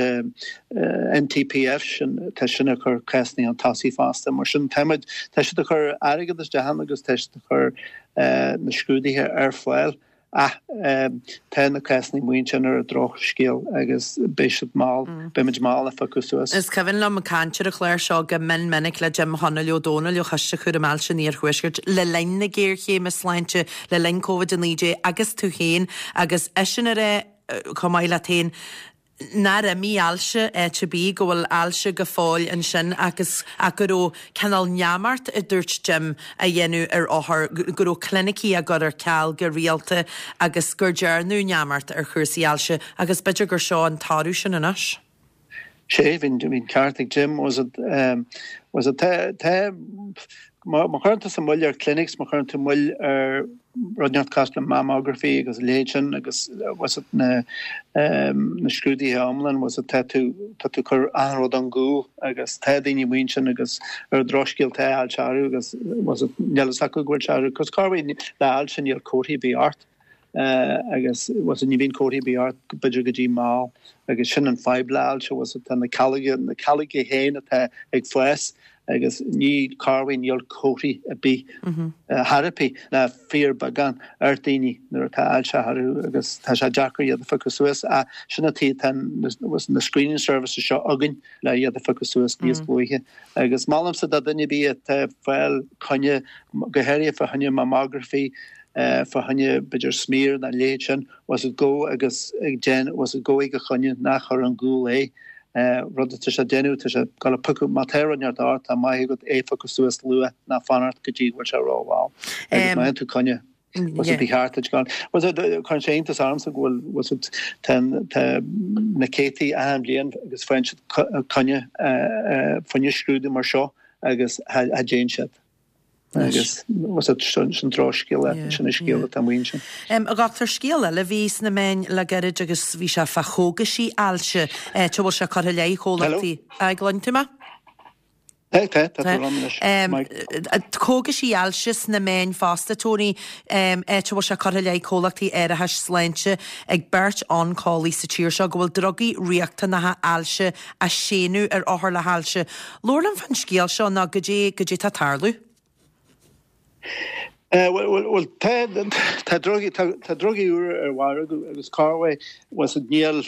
NTPF sin, tá sin ag cur cásanna chun tosaigh fosta. Mar sin tá muid, tá siad ag cur airgead isteach ann agus tá siad ag cur na scrúduithe ar fáil ach tá na cásanna amuigh ansin ar an drochscéal agus beidh siad mall, beimid mall a phiocadh suas. Is cuimhin liom caint ar an chlár seo go mion minic le Jim Chonaill Ó Dónaill ó Choiste Chúraim Ailse an Iarthuaiscirt le linn na géarchéime sláinte, le linn Covid-19 agus tú féin agus eisean ag rá chomh maith leat féin nár imigh ailse áit ar bith, go bhfuil ailse go fóill ansin agus ach go raibh cineál neamart, a dúirt Jim, á dhéanamh ar othair, go raibh clinicí á gcur ar ceal go rialta agus gur dearnadh neamart ar chúrsaí ailse agus b'fhéidir gur seo an toradh sin anois. Sea, bhí an ceart ag Jim, was it, was it, tá, tá, má chuireann tusa moill ar clinics, má chuireann tú moill ar rud inteacht cosúil le mammography agus a leithéid sin agus was it na, na scrúduithe iomlán, was it, tá tú, tá tú ag cur achan rud ón gcúl agus tá daoine amuigh ansin agus ar an drochscéal tá ailse orthu agus was it, níl fhios acu go bhfuil sé orthu, cos cá bhfuil le ailse níl comharthaí ar bith ort. agus was it ní bhíonn comharthaí ar bith ort b'fhéidir go dtí mall agus sin an fadhb le ailse was it tá na calóga na calóga féin atá ag fás agus ní corruair níl comharthaí ar bith chor ar bith ná fíorbheagán ar daoine nuair atá ailse orthu agus tá sé deacair iad a phiocadh suas ach sin an tuige tá was na screening services seo againn le iad a phiocadh suas níos luaithe agus molaimse do duine ar bith atá ag fáil coinne go háirithe fá choinne mammography fá choinne b'fhéidir smear nó a leithéid sin, was it gabh agus déan, was it gabh ag a choinne, ná cuir ar gcúl é. Rud atá sé ag déanamh, tá sé ag dul a phiocadh, má tá rud inteacht ort, tá maith agat é a phiocadh suas luath, ná fanacht go dtí go bhfuil sé rómhall. Agus má fhaigheann tú coinne, was it ba cheart duit gabháil. Was it, cuireann sé iontas ormsa go bhfuil, was it, tá, tá na céadtaí achan bhliain agus faigheann siad coinne, fá choinne scrúdú mar seo agus cha dtéann siad. Agus was it sin drochscéal é, sin an scéal atá amuigh ansin. A dhochtúir, scéal eile a bhí sna meáin le gairid agus bhí sé fá chógaisí ailse, áit a bhfuil sé curtha i leith chomhlachtaí. Hello? Gcluin tú mé? Tá, tá, tá tú liom anois. Maith. Cógaisí ailse sna meáin fosta, Tony, áit a bhfuil sé curtha i leith comhlachtaí árachais sláinte ag beirt oncólaí sa tír seo go bhfuil drugaí riachtanacha ailse á séanadh ar othair le hailse. Labhair liom fán scéal seo nó goidé, goidé tá ag tarlú. Bhuel, tá, tá drugaí, tá, tá drugaí úra ar mhargadh agus corruair was it níl,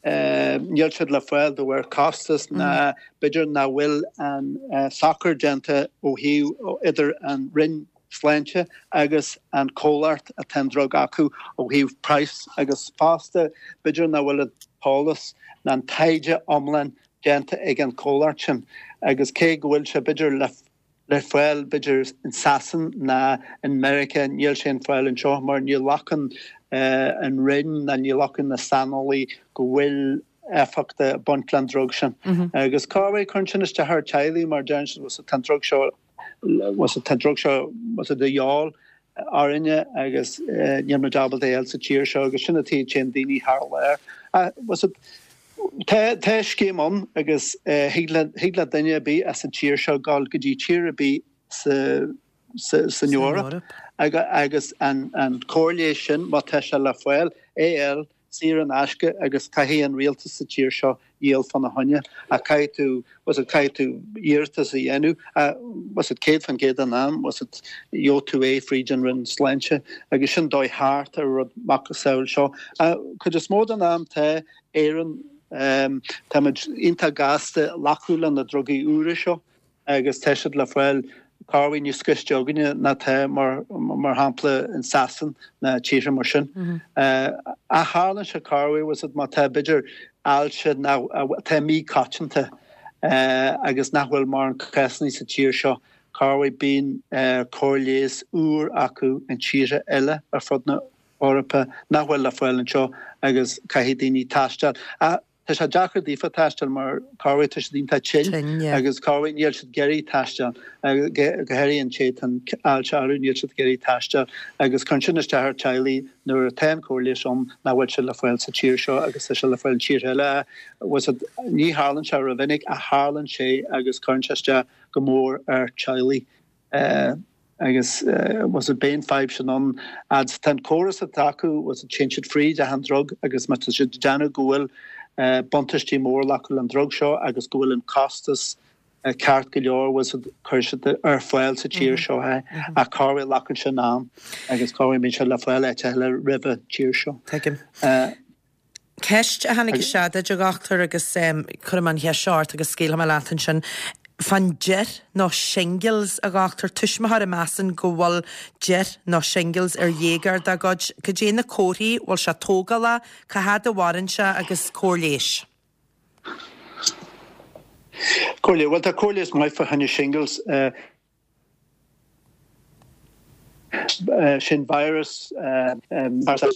níl siad le fáil de bharr costas ná b'fhéidir nach bhfuil an socair déanta ó thaobh idir an Roinn Sláinte agus an comhlacht atá an drug acu ó thaobh praghas agus fosta b'fhéidir nach bhfuil an t-eolas ná an taighde iomlán déanta ag an comhlacht sin agus cé go bhfuil sé b'fhéidir le le fáil b'fhéidir in Sasain ná in Meiriceá níl sé ar fáil anseo mar ní ghlacann an Roinn ná ní ghlacann na saineolaí go bhfuil éifeacht ag baint leis an drug sin. Agus corruair cuireann sin isteach ar teaghlaigh mar deireann siad tá an drug seo was it tá an drug seo was it de dhíobháil orainne agus níl muid ábalta é a fháil sa tír seo agus sin an tuige a dtéann daoine thar lear. Was it tá tá scéim ann agus thig le thig le duine ar bith as an tír seo dul go dtí tír ar bith sa sa san Eoraip agus an an cóir leighis sin má tá sé le fáil é a fháil saor in aisce agus caithfidh an rialtas sa tír seo dhíol fána choinne ach caithfidh tú was it caithfidh tú iarratas a dhéanamh was it 100% den am was it gheobhaidh tú é fríd an Roinn Sláinte agus sin dóigh thart ar rud macasamhail seo. Cuid is mó den am tá Éirinn táimid iontach gasta glacadh le na drugaí úra seo. agus tá siad le fáil corruair níos gaiste againne ná tá mar mar shampla in Sasain ná tíortha mar sin. Ach tharlaíonn sé corruair bhfuil 's agat má tá b'fhéidir ailse atá míchoitianta agus nach bhfuil mórán cásanna sa tír seo, corruair bíonn cóir leighis úr acu in tíortha eile ar fud na hEorpa nach bhfuil le fáil anseo agus caithfidh daoine taisteal. Ach tá sé deacair daofa taisteal mar corruair tá siad iontach tinn agus corruair níl siad ag iarraidh taisteal, go háirithe an té atá an ailse orthu, níl siad ag iarraidh taisteal agus cuireann sin isteach ar teaghlaigh nuair atá an cóir leighis ann nach bhfuil sé le fáil sa tír seo agus tá sé le fáil in tíortha eile. Bhfuil 's agat, ní tharlaíonn sé rómhinic ach tharlaíonn sé agus cuireann sé isteach go mór ar teaghlaigh. Agus bhfuil 's agat beidh an fadhb sin ann fhad 's atá an córas atá acu, bhfuil 's agat téann siad fríd achan drug agus má tá siad ag déanamh go bhfuil buntáistí mór acu le an drug seo agus go bhfuil an costas ceart go leor, bhfuil 's agat cuirfidh siad ar fáil sa tír seo é ach corruair glacann sin am agus corruair bíonn sé le fáil áit eile roimh an tír seo. Tuigim. Ceist a tháinig isteach duit, a dhochtúir, agus cuirfidh mé an cheist seo ort agus scaoilfidh mé leat ansin. Fán dearc nó shingles, a dhochtúir, tuismitheoir a measann go bhfuil dearc nó shingles ar dhéagóir dá gcuid, cad é na comharthaí, bhfuil sé tógálach, cá fhad a mhaireann sé agus cóir leighis? Cóir leighis, bhuel tá cóir leighis maith fá choinne shingles. Sin virus agus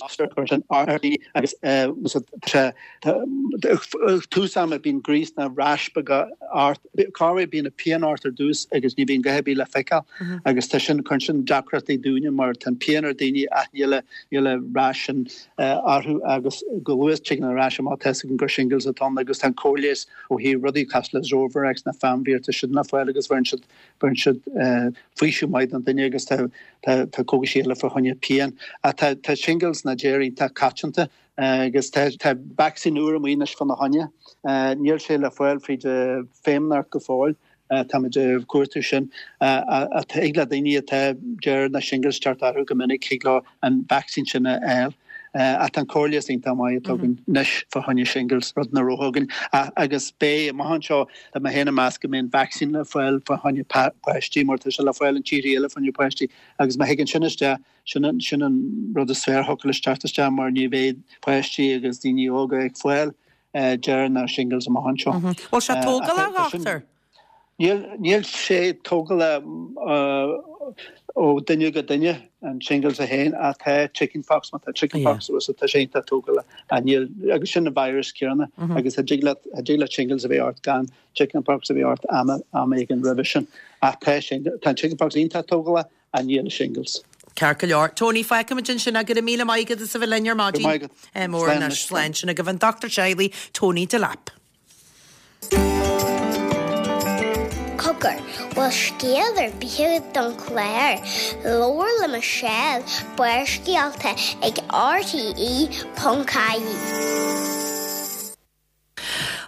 tús ama bíonn gríos nó rash beaga ort. Corruair bíonn an pian ort ar dtús agus ní bhíonn a dhath ar bith le feiceáil agus tá sin cuireann sin deacrachtaí dúinne mar tá an pian ar daoine ach níl níl an rash sin orthu agus go luath tigeann an rash amach tá 'fhios againn gur shingles atá ann agus tá an cóir leighis ó thaobh rudaí cosúil le Zovirax nó Famvir tá siad le fáil agus bheireann siad Bheireann siad faoiseamh maith don duine agus tá cógaisí eile fá choinne pian. Ach tá shingles nó dearc iontach coitianta agus tá vacsaín úr amuigh anois fána choinne. Níl sé le fáil fríd an Feidhmeannacht go fóill. Táimid ag cuartú sin. Ach thig le daoine atá dearc nó shingles teacht orthu go minic, thig leo an vacsaín sin a fháil. Ach tá an cóir leighis iontach maith atá againn anois fá choinne shingles, rud nach raibh againn. Agus beidh, amach anseo, tá mé féin ag meas go mbeidh an vacsaín le fáil fá choinne páistí mar tá sé le fáil in tíortha eile fá choinne páistí agus má thigeann sin isteach, sin an, sin an rud is fearr a thiocfadh leis teacht isteach mar ní bheidh páistí agus daoine óga ag fáil dearc ná shingles amach anseo. Bhfuil sé tógálach, a dhochtúir? Níl sé tógálach ó duine go duine, an shingles é féin, ach tá chicken pox, má tá chicken pox suas, tá sé iontach tógálach. Ach níl, agus sin an virus céanna, agus thig leat, thig leat shingles a bheith ort gan chicken pox a bheith ort am, am éigin roimhe sin. Ach tá sin, tá an chicken pox iontach tógálach ach níl shingles. Ceart go leor. Tony, fágfaimid ansin é. Go raibh míle maith agat as a bheith linn ar maidin. Go raibh maith agat. Mór anois. Slán. Sin agaibh an Dochtúir Teaghlaigh, Tony Delap. Cogar, bhfuil scéal ar bith agat don chlár? Labhair le Michelle, Barrscéalta ag RTE.ie.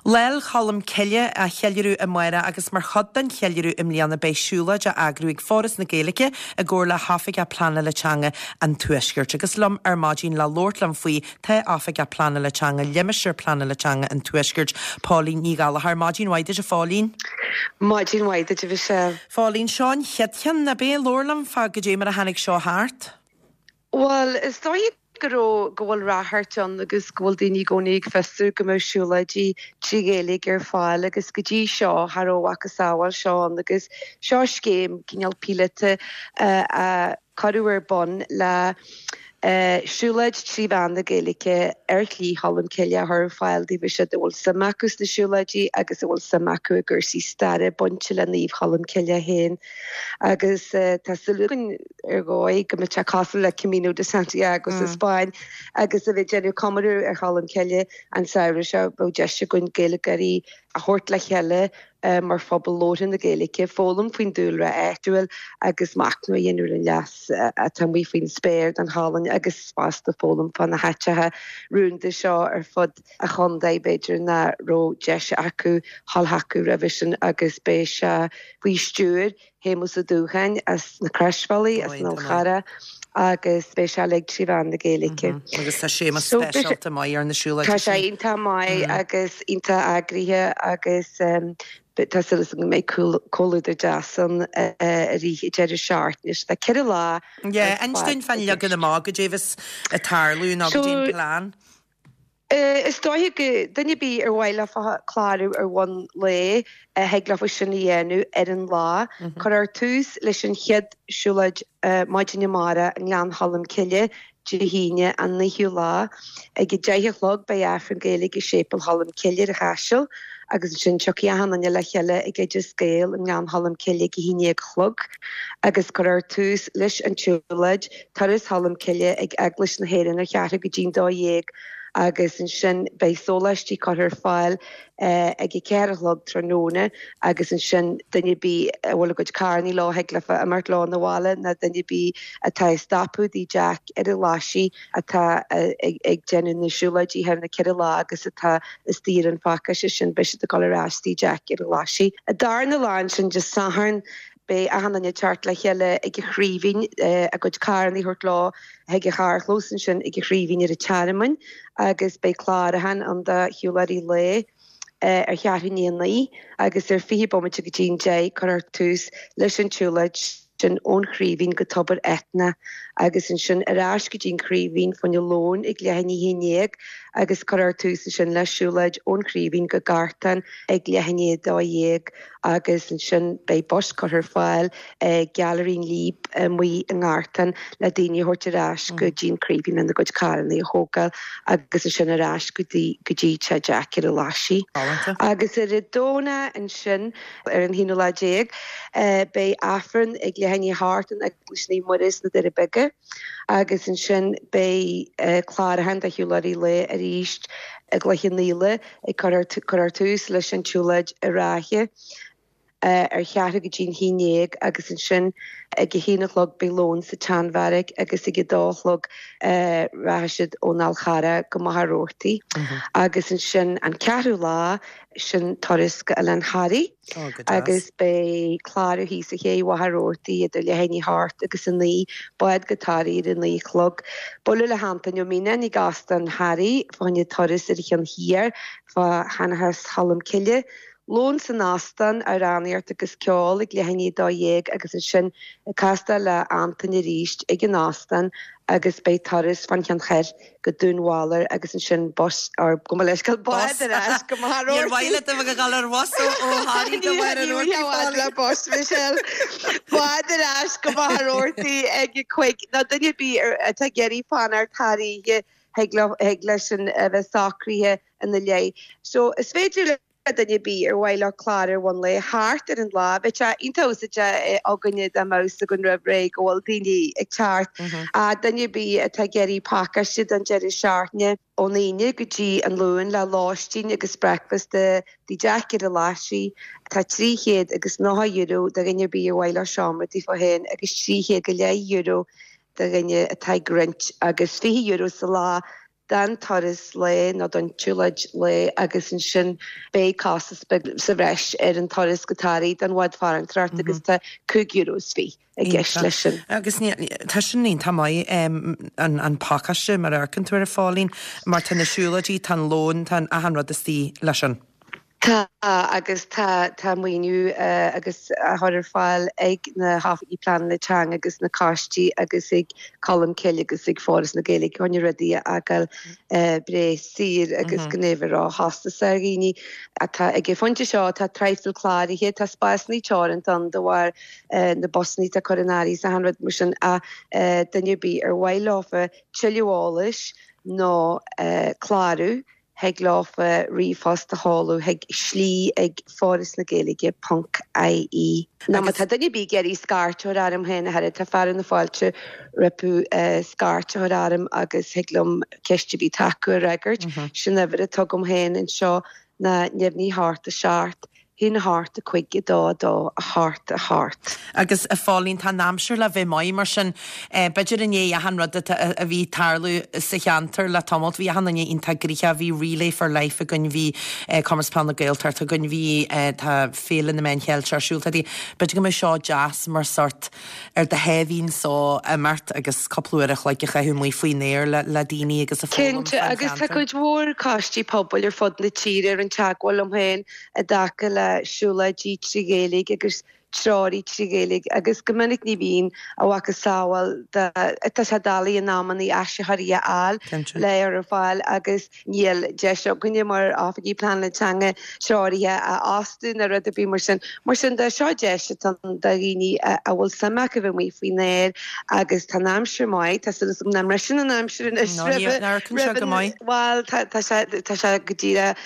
Lá 'le Cholm Cille á cheiliúradh amárach agus mar chuid den cheiliúradh i mbliana beidh siúlóid á eagrú ag Foras na Gaeilge i gcomhar le hOifigeach Pleanála Teanga an Tuaiscirt. Agus liom ar maidin le labhairt liom faoi Tá Oifigeach Pleanála Teanga Limistéar Pleanála Teanga an Tuaiscirt, Póilín Ní Ghallchóir. Maidin mhaith duit, a Phóilín. Maidin mhaith duit, a Mhichelle. Phóilín, seo an chéad cheann, ab é? Labhair liom fá goidé mar a tháinig seo thart. Bhuel, is dóigh go raibh, go bhfuil ráchairt ann agus go bhfuil daoine i gcónaí ag fiosrú go mbeadh siúlóidí trí Ghaeilge ar fáil agus go dtí seo cha raibh a mhacasamhail seo ann agus seo scéim cineál píolóta a cuireadh ar bun le siúlóid trí mheán na Gaeilge ar Shlí Cholm Cille a chur ar fáil daofa siúd a bhfuil suim acu sna siúlóidí agus a bhfuil suim acu i gcúrsaí staire bainte le Naomh Cholm Cille féin. Agus tá súil againn ar dhóigh go mbeidh sé cosúil le Camino de Santiago sa Spáinn agus a bheith ag déanamh comóradh ar Cholm Cille an samhradh seo, beidh deis againn Gaeilgeoirí a thabhairt le chéile mar phobal labhartha na Gaeilge, foghlaim faoin dúlra áitiúil agus machnamh a dhéanamh ar an leas atá amuigh faoin spéir don cholainn agus fosta foghlaim fá na háiteacha rúnda seo ar fud an chontae, b'fhéidir nach raibh deis acu dhul chucu roimhe sin agus beidh sé faoi stiúir Shéamus Ó Dúcháin as na Croisbhealaí, as an Fhál Charrach agus beidh sé uilig trí mheán na Gaeilge. Agus tá Séamus speisialta maith ar na siúlóidí sin. Tá sé iontach maith agus iontach eagraithe agus. Tá súil agam go mbeidh comhluadar deas ann i rith an deireadh seachtaine. So tá 4 lá ar Yeah, inis fad dúinn i fán leagan gceist. amach, goidé bheas ag tarlú nó goidé an So, plean. is dóiche go duine ar bith ar mhaith leofa clárú ar bhonn lae, thig leofa sin a dhéanamh ar an lá. Cuirfear tús leis an chéad siúlóid maidin amárach i nGleann Cholm Cille Dé hAoine an 9ú lá. Ag a 10 a chlog beidh Aifreann Gaeilge i Séipéal Cholm Cille ar an Chaiseal agus ansin tiocfaidh achan duine le chéile ag Oideas Gael i nGleann Cholm Cille ag a haon dhéag a chlog agus cuirfear tús leis an tsiúlóid Turas Cholm Cille ag Eaglais na hÉireann ar cheathrú go dtí'n dó dhéag agus ansin beidh sóláistí curtha ar fáil ag a ceathair a chlog tráthnóna agus ansin duine ar bith a bhfuil a gcuid carrannaí leo thig leofa imeacht leo 'na bhaile nó duine ar bith atá ag stopadh dTigh Jack ar an Ghlaisigh atá ag déanamh na siúlóidí thar na ceithre lá agus atá istigh ar an phacáiste sin beidh siad ag dul ar ais Tigh Jack ar an Ghlaisigh. An darna lá ansin Dé Sathairn beidh achan duine ag teacht le chéile ag an Chraoibhín a gcuid carrannaí a thabhairt leo chuig an charrchlós ansin ag an Chraoibhín ar an Tearmainn agus beidh clárúchán ann do shiúlóirí lae ar cheathrú i ndiaidh a naoi agus ar 20 bomaite go dtí an deich cuirfear tús leis an tsiúlóid sin ón Chraoibhín go Tobar Eithne agus ansin ar ais go dtí an Chraoibhín fá choinne lóin ag leath i ndiaidh a haon dhéag agus cuirfear tús ansin le siúlóid ón Chraoibhín go Gartán ag leath i ndiaidh a dó dhéag. agus ansin beidh bus curtha ar fáil ag Gailearaí an Líb amuigh i nGartán le daoine a thabhairt ar ais go dtí an Craoibhín lena gcuid carrannaí a thógáil agus ansin ar ais go dtí go dtí Teach Jack ar an Ghlaisigh. Agus ar an Domhnach ansin, ar an haonú lá déag, beidh Aifreann ag leath i ndiaidh a hocht in Eaglais Naomh Muire sna Doirí Beaga agus ansin beidh clárúchán do shiúlóirí lae arís i gCloich Cheann Fhaola ag cuirfear tús leis an tsiúlóid i Ráithe ar cheathrú go dtí'n haon dhéag agus ansin ag a haon a chlog beidh lón sa tSeanbheairic agus ag a dó a chlog rachaidh siad ón Fhál Charrach go Machaire Rabhartaigh agus ansin an ceathrú lá sin turas go Oileán Thoraí. Agus beidh clárú thíos ar ché Mhachaire Rabhartaigh idir leath i ndiaidh a hocht agus a naoi, bád go Toraigh ar a naoi a chlog. Bualadh le hAntaine Ó Mianáin ag Óstán Thoraí fá choinne turas ar an cheann thiar fá Sheanchas Cholm Cille. Lón san óstán, amhránaíocht agus ceol ag leath i ndiaidh a dó dhéag agus ansin ag castáil le Antaine arís ag an óstán agus beidh turas fán Cheann Thoir go Dún Bhaloir agus ansin bus or gabh mo leithscéal bád ar ais go Machaire Níor mhaith leat a bheith ag dul ar bhus ó Thoraí go Machaire Ní Rabhartaigh bhfad le bus Michelle. Bád ar ais go Machaire Rabhartaigh ag a cuig nó duine ar bith atá ag iarraidh fanacht thar oíche thig leo thig leis sin a bheith socraithe ina leith. So is féidir le duine ar bith ar mhaith leo clárú ar bhonn lae thart ar an lá. Bheadh sé iontach úsáideach againne dá mbeadh fhios againn roimh ré go bhfuil daoine ag teacht. Duine ar bith atá ag iarraidh pacáiste don deireadh seachtaine, ón Aoine go dtí an Luan le lóistín agus breakfast i dTigh Jack ar an Ghlaisigh, tá €390 do dhuine ar bith ar mhaith leo seomra daofa féin agus 300 go leith euro do dhuine atá ag roinnt agus €20 sa lá don turas lae nó don tsiúlóid lae agus ansin beidh costas beag sa bhreis ar an turas go Toraigh don bhád farantóireachta agus tá €5.20 i gceist leis sin. Agus tá sin iontach maith an pacáiste mar a amharcann tú air a Phóilín mar tá na siúlóidí, tá an lón, tá achan rud istigh leis sin. Tá, agus tá, tá maoiniú agus á chur ar fáil ag na hoifigigh pleanála teanga agus na coistí agus ag Colmcille agus ag Foras na Gaeilge chun na rudaí a fhágáil breá saor agus gan é a bheith róchostasach ar dhaoine. Atá ag an phointe seo, tá traidhfil cláraithe, tá spásanna teoranta ann de bharr na busanna atá curtha in áirithe is achan rud mar sin ach duine ar bith ar mhaith leofa tuilleadh eolais nó clárú, Thig leofa ríomhphost a sheoladh chuig slí ag forasnagaeilge ponc ie. Nó má tá duine ar bith ag iarraidh scairt a chur orm féin a chara, tá fearadh na fáilte rompu scairt a chur orm agus thig liom ceist ar bith atá acu a fhreagairt. Sin uimhir atá agam féin anseo ná neamhní 8 7 1 8 5 2 2 8 8. Agus a Phóilín, tá an aimsir le bheith maith, mar sin b'fhéidir i ndiaidh achan rud atá, a bhí ag tarlú sa cheantar le tamalt, bhí achan duine iontach gnoitheach, bhí Relay for Life againn, bhí Comórtas Peile na Gaeltachta againn, bhí, tá Féile na Meán Cheilteach ar siúl, tá, b'fhéidir go mbeadh seo deas mar sort ar do sháimhín só imeacht agus cúpla uair a chloig a chaitheamh amuigh faoin aer le le daoine agus a foghlaim Cinnte, fán agus tá cheantar. cuid mhór coistí pobail ar fud na tíre ar an teagmháil liom féin i dtaca le. le siúlóidí trí Ghaeilge agus treoraí trí Ghaeilge agus go minic ní bhíonn a mhacasamhail de, tá sé doiligh in amannaí áisitheoirí a fháil le ar ar fáil agus níl deis againne mar oifigigh pleanála teanga treoraithe a fhostú ná rud ar bith mar sin. Mar sin de, seo deis atá ann do dhaoine a bhfuil suim acu bheith amuigh faoin aer agus tá an aimsir maith, tá súil agam nach mbriseann an aimsir anois roimh an, bhuel tá sé, tá sé go díreach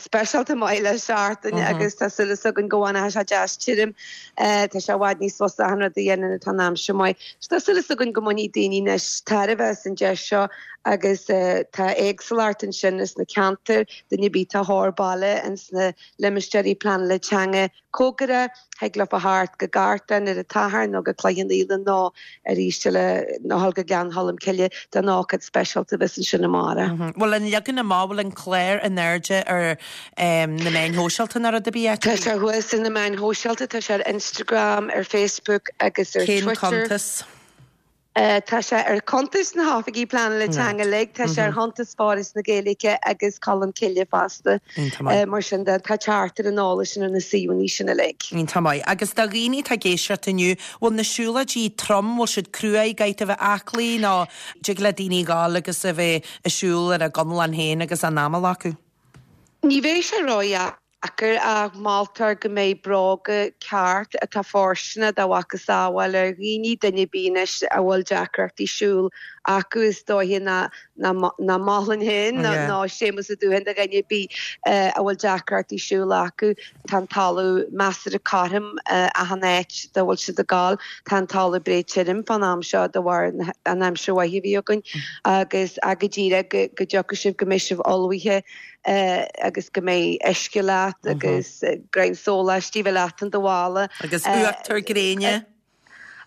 speisialta maith le seachtain agus tá súil againn go bhfanfaidh sé deas tirim. Tá sé i bhfad níos fusa achan rud a dhéanamh nuair atá an aimsir maith. So tá súil againn go mbainfidh daoine anois tairbhe as an deis seo agus tá éagsúlacht ansin ins na ceantair, duine ar bith atá thar baile ins na limistéirí pleanála teanga cóngarach, thig leofa theacht go Gartán ar an tSatharn nó go Cloich Cheann Fhaola nó arís eile nó dhul go Gleann Cholm Cille don ócáid speisialta a bheas ansin amárach. Bhfuil an leagan amach, bhfuil an clár in airde ar na meáin shóisialta nó rud ar bith áit Tá sé thuas ar na meáin shóisialta, tá sé ar Instagram, ar Facebook agus ar Cén Twitter. cuntas? Tá sé ar chuntais na hOifigí Pleanála Teanga uilig, tá sé ar chuntas Foras na Gaeilge agus Colmcille fosta. Iontach maith. Mar sin de, tá teacht ar an eolas sin ar na suíomhanna sin uilig. Iontach maith. Agus do dhaoine atá ag éisteacht inniu, bhfuil na siúlóidí trom, bhfuil siad cruaidh, caithfidh tú a bheith aclaí nó dtig le daoine dhul agus a bheith ag siúl ar a gconlán féin agus a n-anáil acu? Ní bheidh sé ródheacair ach moltar go mbeidh bróga ceart atá fóirsteanach dá mhacasamhail ar dhaoine, duine ar bith anois a bhfuil deacrachtaí siúil acu is dóiche nach mholfainn féin ná Séamus Ó Dúthain do dhuine ar bith a bhfuil deacrachtaí siúil acu. Tá an talamh measartha cothrom achan áit dá bhfuil siad ag gabháil. Tá an talamh breá tirim fán am seo de bharr an aimsir mhaith a bhí againn agus go díreach go dtiocfaidh sibh go mbeidh sibh ullmhaithe agus go mbeidh uisce leat agus greim sóláistí bheith leat in do mhála. Agus uachtar gréine.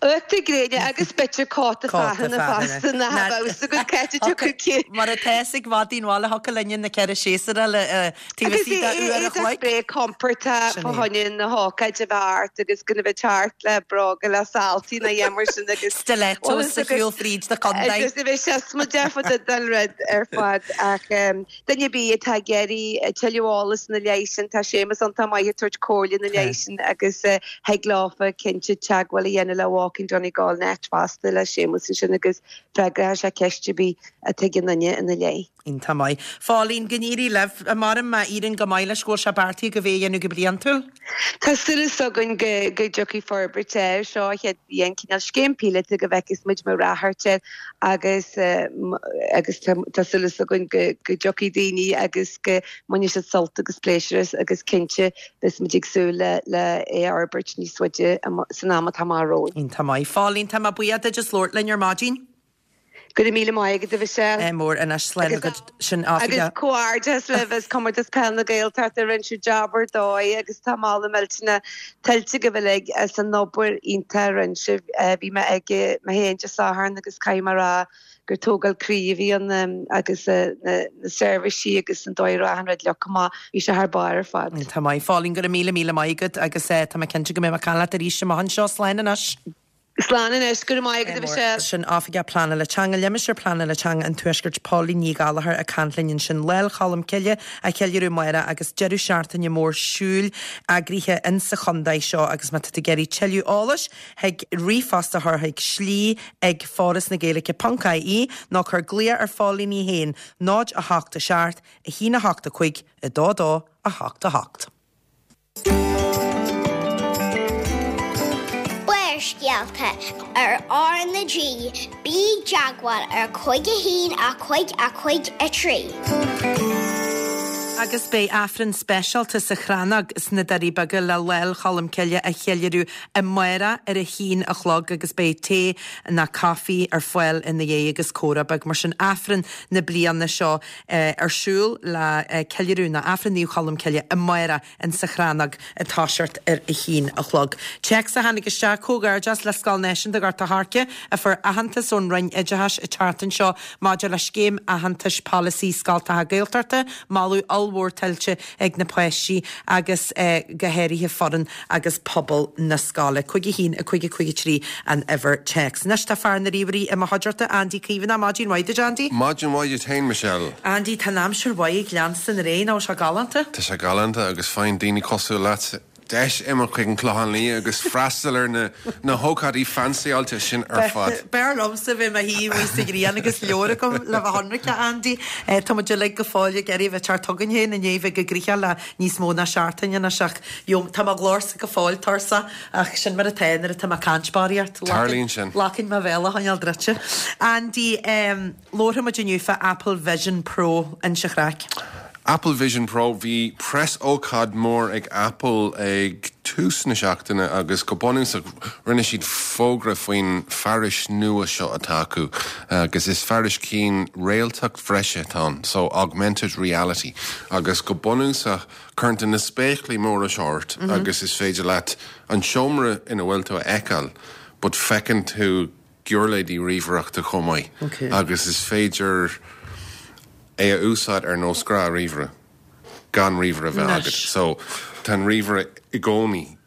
Uachtar gréine agus b'fhéidir cóta fearthainne fosta nach bheadh fhios agat cá háit a dtiocfadh cé. Mar atá fhios ag madaí an bhaile thiocfadh linne na ceithre séasúr a fháil taobh istigh de uair a chloig. Agus breá compordach fá choinne na hócáide a bheith ort agus gan a bheith teacht le bróga le saltaí ná a dhath mar sin agus. Stilettos a shiúl fríd do chontae. Agus a bheith siosmaideach den rud ar fad ach. Duine ar bith atá ag iarraidh tuilleadh eolais ina leith sin, tá Séamus iontach maith ag tabhairt comhairle ina leith sin agus thig leofa cinnte teagmháil a dhéanamh le Walking Donegal Net fosta le Séamus ansin agus freagróidh sé ceist ar bith atá ag aon duine ina leith. Iontach maith. Phóilín, go n-éirí libh. Maram má éiríonn go maith leis go bhfuil sé beartaithe agaibh é a dhéanamh go bliantúil. Tá súil againn go dtiocfaidh forbairt air seo an chéad bhliain, cineál scéim píolóta go bhfeicfeas muid mar ráchairt air agus agus tá súil againn go dtiocfaidh daoine agus go mbainfidh siad sult agus pléisiúr as agus cinnte beidh muid ag súil le le é a fhorbairt níos faide san am atá amach romhainn. Iontach maith. Phóilín, tá mé buíoch duit as labhairt linn ar maidin. Go raibh míle maith agat, a Mhichelle. Mór anois, slán agat sin Agus comhghairdeas libh as Comórtas Peile na Gaeltachta, rinne sibh jab ar dóigh agus tá moladh millteanach tuillte agaibh uilig as an obair iontach a rinne sibh. Bhí mé ag mé féin Dé Sathairn agus caithfidh mé a rá gur tógáil croí a bhí ann agus na seirbhísí agus an dóigh a raibh achan rud leagtha amach, bhí sé thar barr ar fad. Tá maith. Phóilín, go raibh míle míle maith agat agus tá mé cinnte go mbeidh mé ag caint leat arís amach anseo. Slán anois. Slán anois, go raibh maith agat a Mhichelle. Sin Oifigeach Pleanála Teanga Limistéar Pleanála Teanga an Tuaiscirt, Póilín Ní Ghallchóir ag caint linn ansin. Lá 'le Cholm Cille á cheiliúradh amárach agus deireadh seachtaine mór siúil eagraithe insa chontae seo agus má tá tú ag iarraidh tuilleadh eolais thig ríomhphost a chur chuig slí ag forasnagaeilge ponc ie nó cuir glaoch ar Phóilín í féin 0 8 7 1 8 5 2 2 8 8. Barrscéalta ar R na G, bí i dteagmháil ar 5 1 5 5 3. Agus beidh Aifreann speisialta sa Chrannóg sna Doirí Beaga le Lá 'le Cholm Cille a cheiliúradh amárach ar a haon a chlog agus beidh tae ná caife ar fáil ina dhiaidh agus comhrá beag mar sin Aifreann na bliana seo ar siúl le ceiliúradh ná Aifreann Naomh Cholm Cille amárach in sa Chrannóg ag toiseacht ar a haon a chlog. Téacs a tháinig isteach, Comhghairdeas le Scoil Náisiúnta Ghort a' Choirce a fuair aitheantas ón Roinn Oideachais an tseachtain seo maidir le Scéim Aitheantais Polasaí Scoltacha Gaeltachta. Moladh ollmhór. ollmhór tuillte ag na páistí agus go háirithe foireann agus pobal na scoile. 5 1 5 5 3 an uimhir téacs. Anois tá fear na ríomhairí i mo chuideachta, Andy Caomhánach. Maidin mhaith duit, Andy. Maidin mhaith duit féin, Michelle. Andy, tá an aimsir mhaith ag leanstan ar aghaidh, nach bhfuil sé galánta? Tá sé galánta agus faigheann daoine cosúil leat deis imeacht chuig an Clochán Liath agus freastal ar na na hócáidí fancyáilte sin ar fad. B'fhearr liomsa bheith i mo shuí amuigh sa ghrian agus leabhar agam le bheith ionraic, a Andy. Tá muid uilig go fóill ag iarraidh a bheith ag teacht chugainn féin i ndiaidh bheith go gnoitheach le níos mó ná seachtain anois ach tá mo ghlórsa go fóill tuirseach ach sin mar atá nuair atá mé ag caint barraíocht. Tarlaíonn sin. Glacann mo bhéal a choinneáil druidte. Andy, Labharfaidh muid inniu fá Apple Vision Pro, inis an chraic. Apple Vision Pro, Bhí preasócáid mór ag Apple ag tús na seachtaine agus go bunúsach rinne siad fógra faoin fearais nua seo atá acu agus is fearais cinn réaltacht bhreise atá ann, so augmented reality agus go bunúsach cuireann tú na spéaclaí móra seo ort agus is féidir leat an seomra ina bhfuil tú a fheiceáil but feiceann tú giuirléidí ríomhaireachta chomh maith agus is féidir é a úsáid ar nós gnáth-ríomhaire gan ríomhaire a bheith agat. So tá an ríomhaire i gcónaí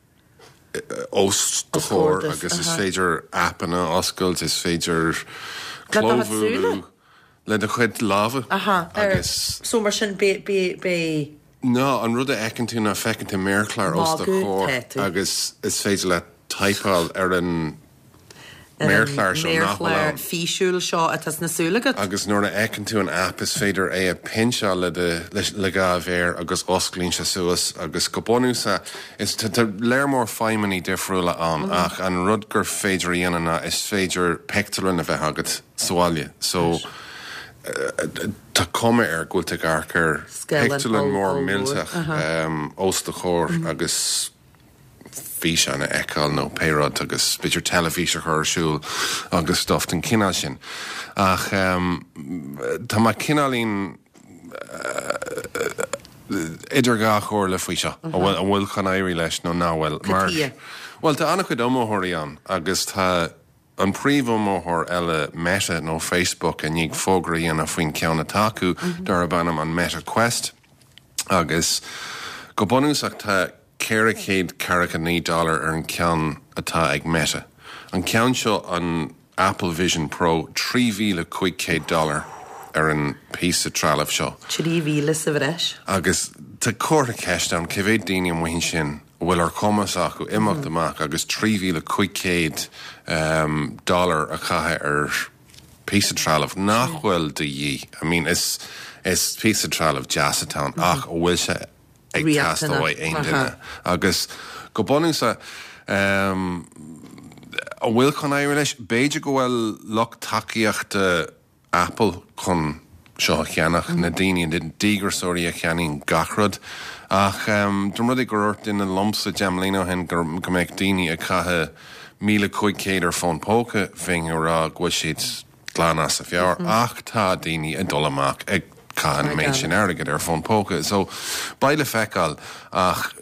os do chomhair agus is féidir aipeanna a oscailt, is féidir clóbhualadh le do chuid lámha agus. So mar sin beidh. No, an rud a fheiceann tú ná feiceann tú méarchlár os do chomhair agus is féidir leat typeáil ar an méarchlár seo nach bhfuil ann. méarchlár físiúil seo atá sna súile agat. Agus nuair a fheiceann tú an aip is féidir é a pinseáil le do, le dhá mhéar agus osclaíonn sé suas agus go bunúsach is, tá léar mór feidhmeanna difriúla ann ach an rud gur féidir a dhéanamh ná is féidir pictiúrlann a bheith agat sa bhaile so Tá cuma air go bhfuil tú ag amharc ar pictiúrlann mór millteach os do chomhair agus físeán a fheiceáil nó pé rud agus b'fhéidir teilifís a chur ar siúl agus stuff den chineál sin. Ach tá mé cineáilín idir dhá chomhairle faoi seo, an bhfuil chun éirí leis nó nach bhfuil. Mar, bhuel, tá an-chuid iomaitheoirí ann agus tá. An príomh-iomaitheoir eile, Meta, nó Facebook, i ndiaidh fógra a dhéanamh faoin ceann atá acu, darb ainm an Meta Quest, agus go bunúsach tá 449 dollar ar an ceann atá ag Meta. An ceann seo, an Apple Vision Pro, 3,500 dollar ar an píosa trealaimh seo. 3,000 sa bhreis. Agus tá comhartha ceiste ann, cé mhéad daoine amuigh ansin a bhfuil ar chumas acu imeacht amach agus 3,500 dollar a chaitheamh ar phíosa trealaimh nach bhfuil de dhíth. I mean, is is píosa trealaimh deas atá ann ach an bhfuil sé ag teastáil uaidh aon duine? Agus go bunúsach, an bhfuil chun éirí leis? B'fhéidir go bhfuil lucht tacaíochta Apple chun seo a cheannach, na daoine, na díograiseoirí a cheannaíonn gach rud. Ach dá mba rud é gur dhúirt duine liomsa deich mbliana ó shin go mbeadh daoine ag caitheamh 1,500 ar fón póca, bheinn ag rá go bhfuil siad glan as a mheabhair. Ach tá daoine ag dul amach ag caitheamh an méid sin airgid ar fón póca. So, beidh le feiceáil. Ach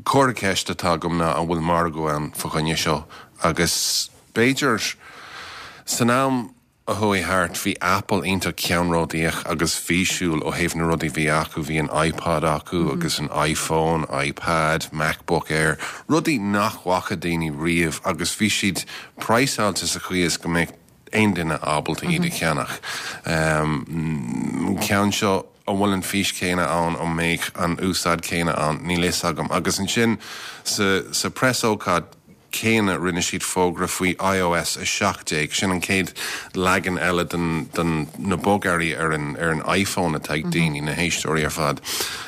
comhartha ceiste atá agam ná an bhfuil margadh ann fa choinne seo? Agus b'fhéidir san am a chuaigh thart, bhí Apple iontach ceannródaíoch agus físiúil ó thaobh na rudaí a bhí acu, bhí an iPod acu agus an iPhone, iPad, MacBook Air, rudaí nach bhfaca daoine riamh agus bhí siad praghsáilte sa chaoi is go mbeadh aon duine ábalta iad a cheannach. An ceann seo, an bhfuil an fís chéanna ann, an mbeidh an úsáid chéanna ann, níl fhios agam. Agus ansin sa sa preasócáid, céanna, rinne siad fógra faoi iOS 17, sin an chéad leagan eile den, den, na bogearraí ar an, ar an iPhone atá ag daoine, na héisteoirí ar fad,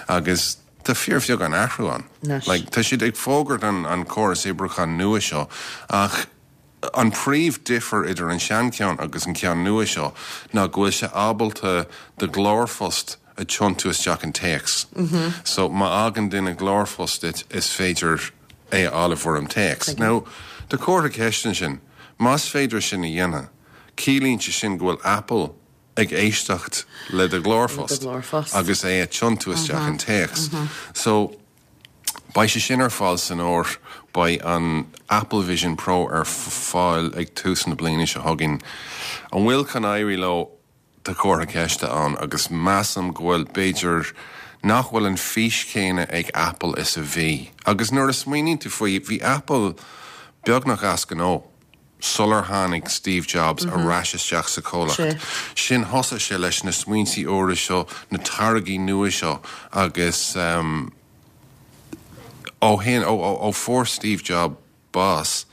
agus tá fíorbheagán athrú ann. Like, tá siad ag fógairt an, an córas oibriúcháin nua seo, ach an príomh difear idir an seancheann agus an ceann nua seo ná go bhfuil sé ábalta do ghlórphost a tiontú isteach in téacs. So, má fhágann duine glórphost duit, is féidir é a fháil i bhfoirm téacs. Now, tá comhartha ceiste ansin. Más féidir sin a dhéanamh, ciallaíonn sé sin go bhfuil Apple ag éisteacht le do ghlórphost agus é a tiontú isteach in téacs. So, beidh sé sin ar fáil san fhómhar. Beidh an Apple Vision Pro ar fáil ag tús na bliana seo chugainn. An bhfuil chun éirí leo? Tá comhartha ceiste ann agus measaim go bhfuil b'fhéidir. nach bhfuil an fís chéanna ag Apple is a bhí. Agus nuair a smaoiníonn tú faoi, bhí Apple beagnach as gnó sular tháinig Steve Jobs ar ais isteach sa chomhlacht. Sin thosaigh sé leis na smaointí úra seo, na táirgí nua seo agus ó shin, ó fuair Steve Jobs bás,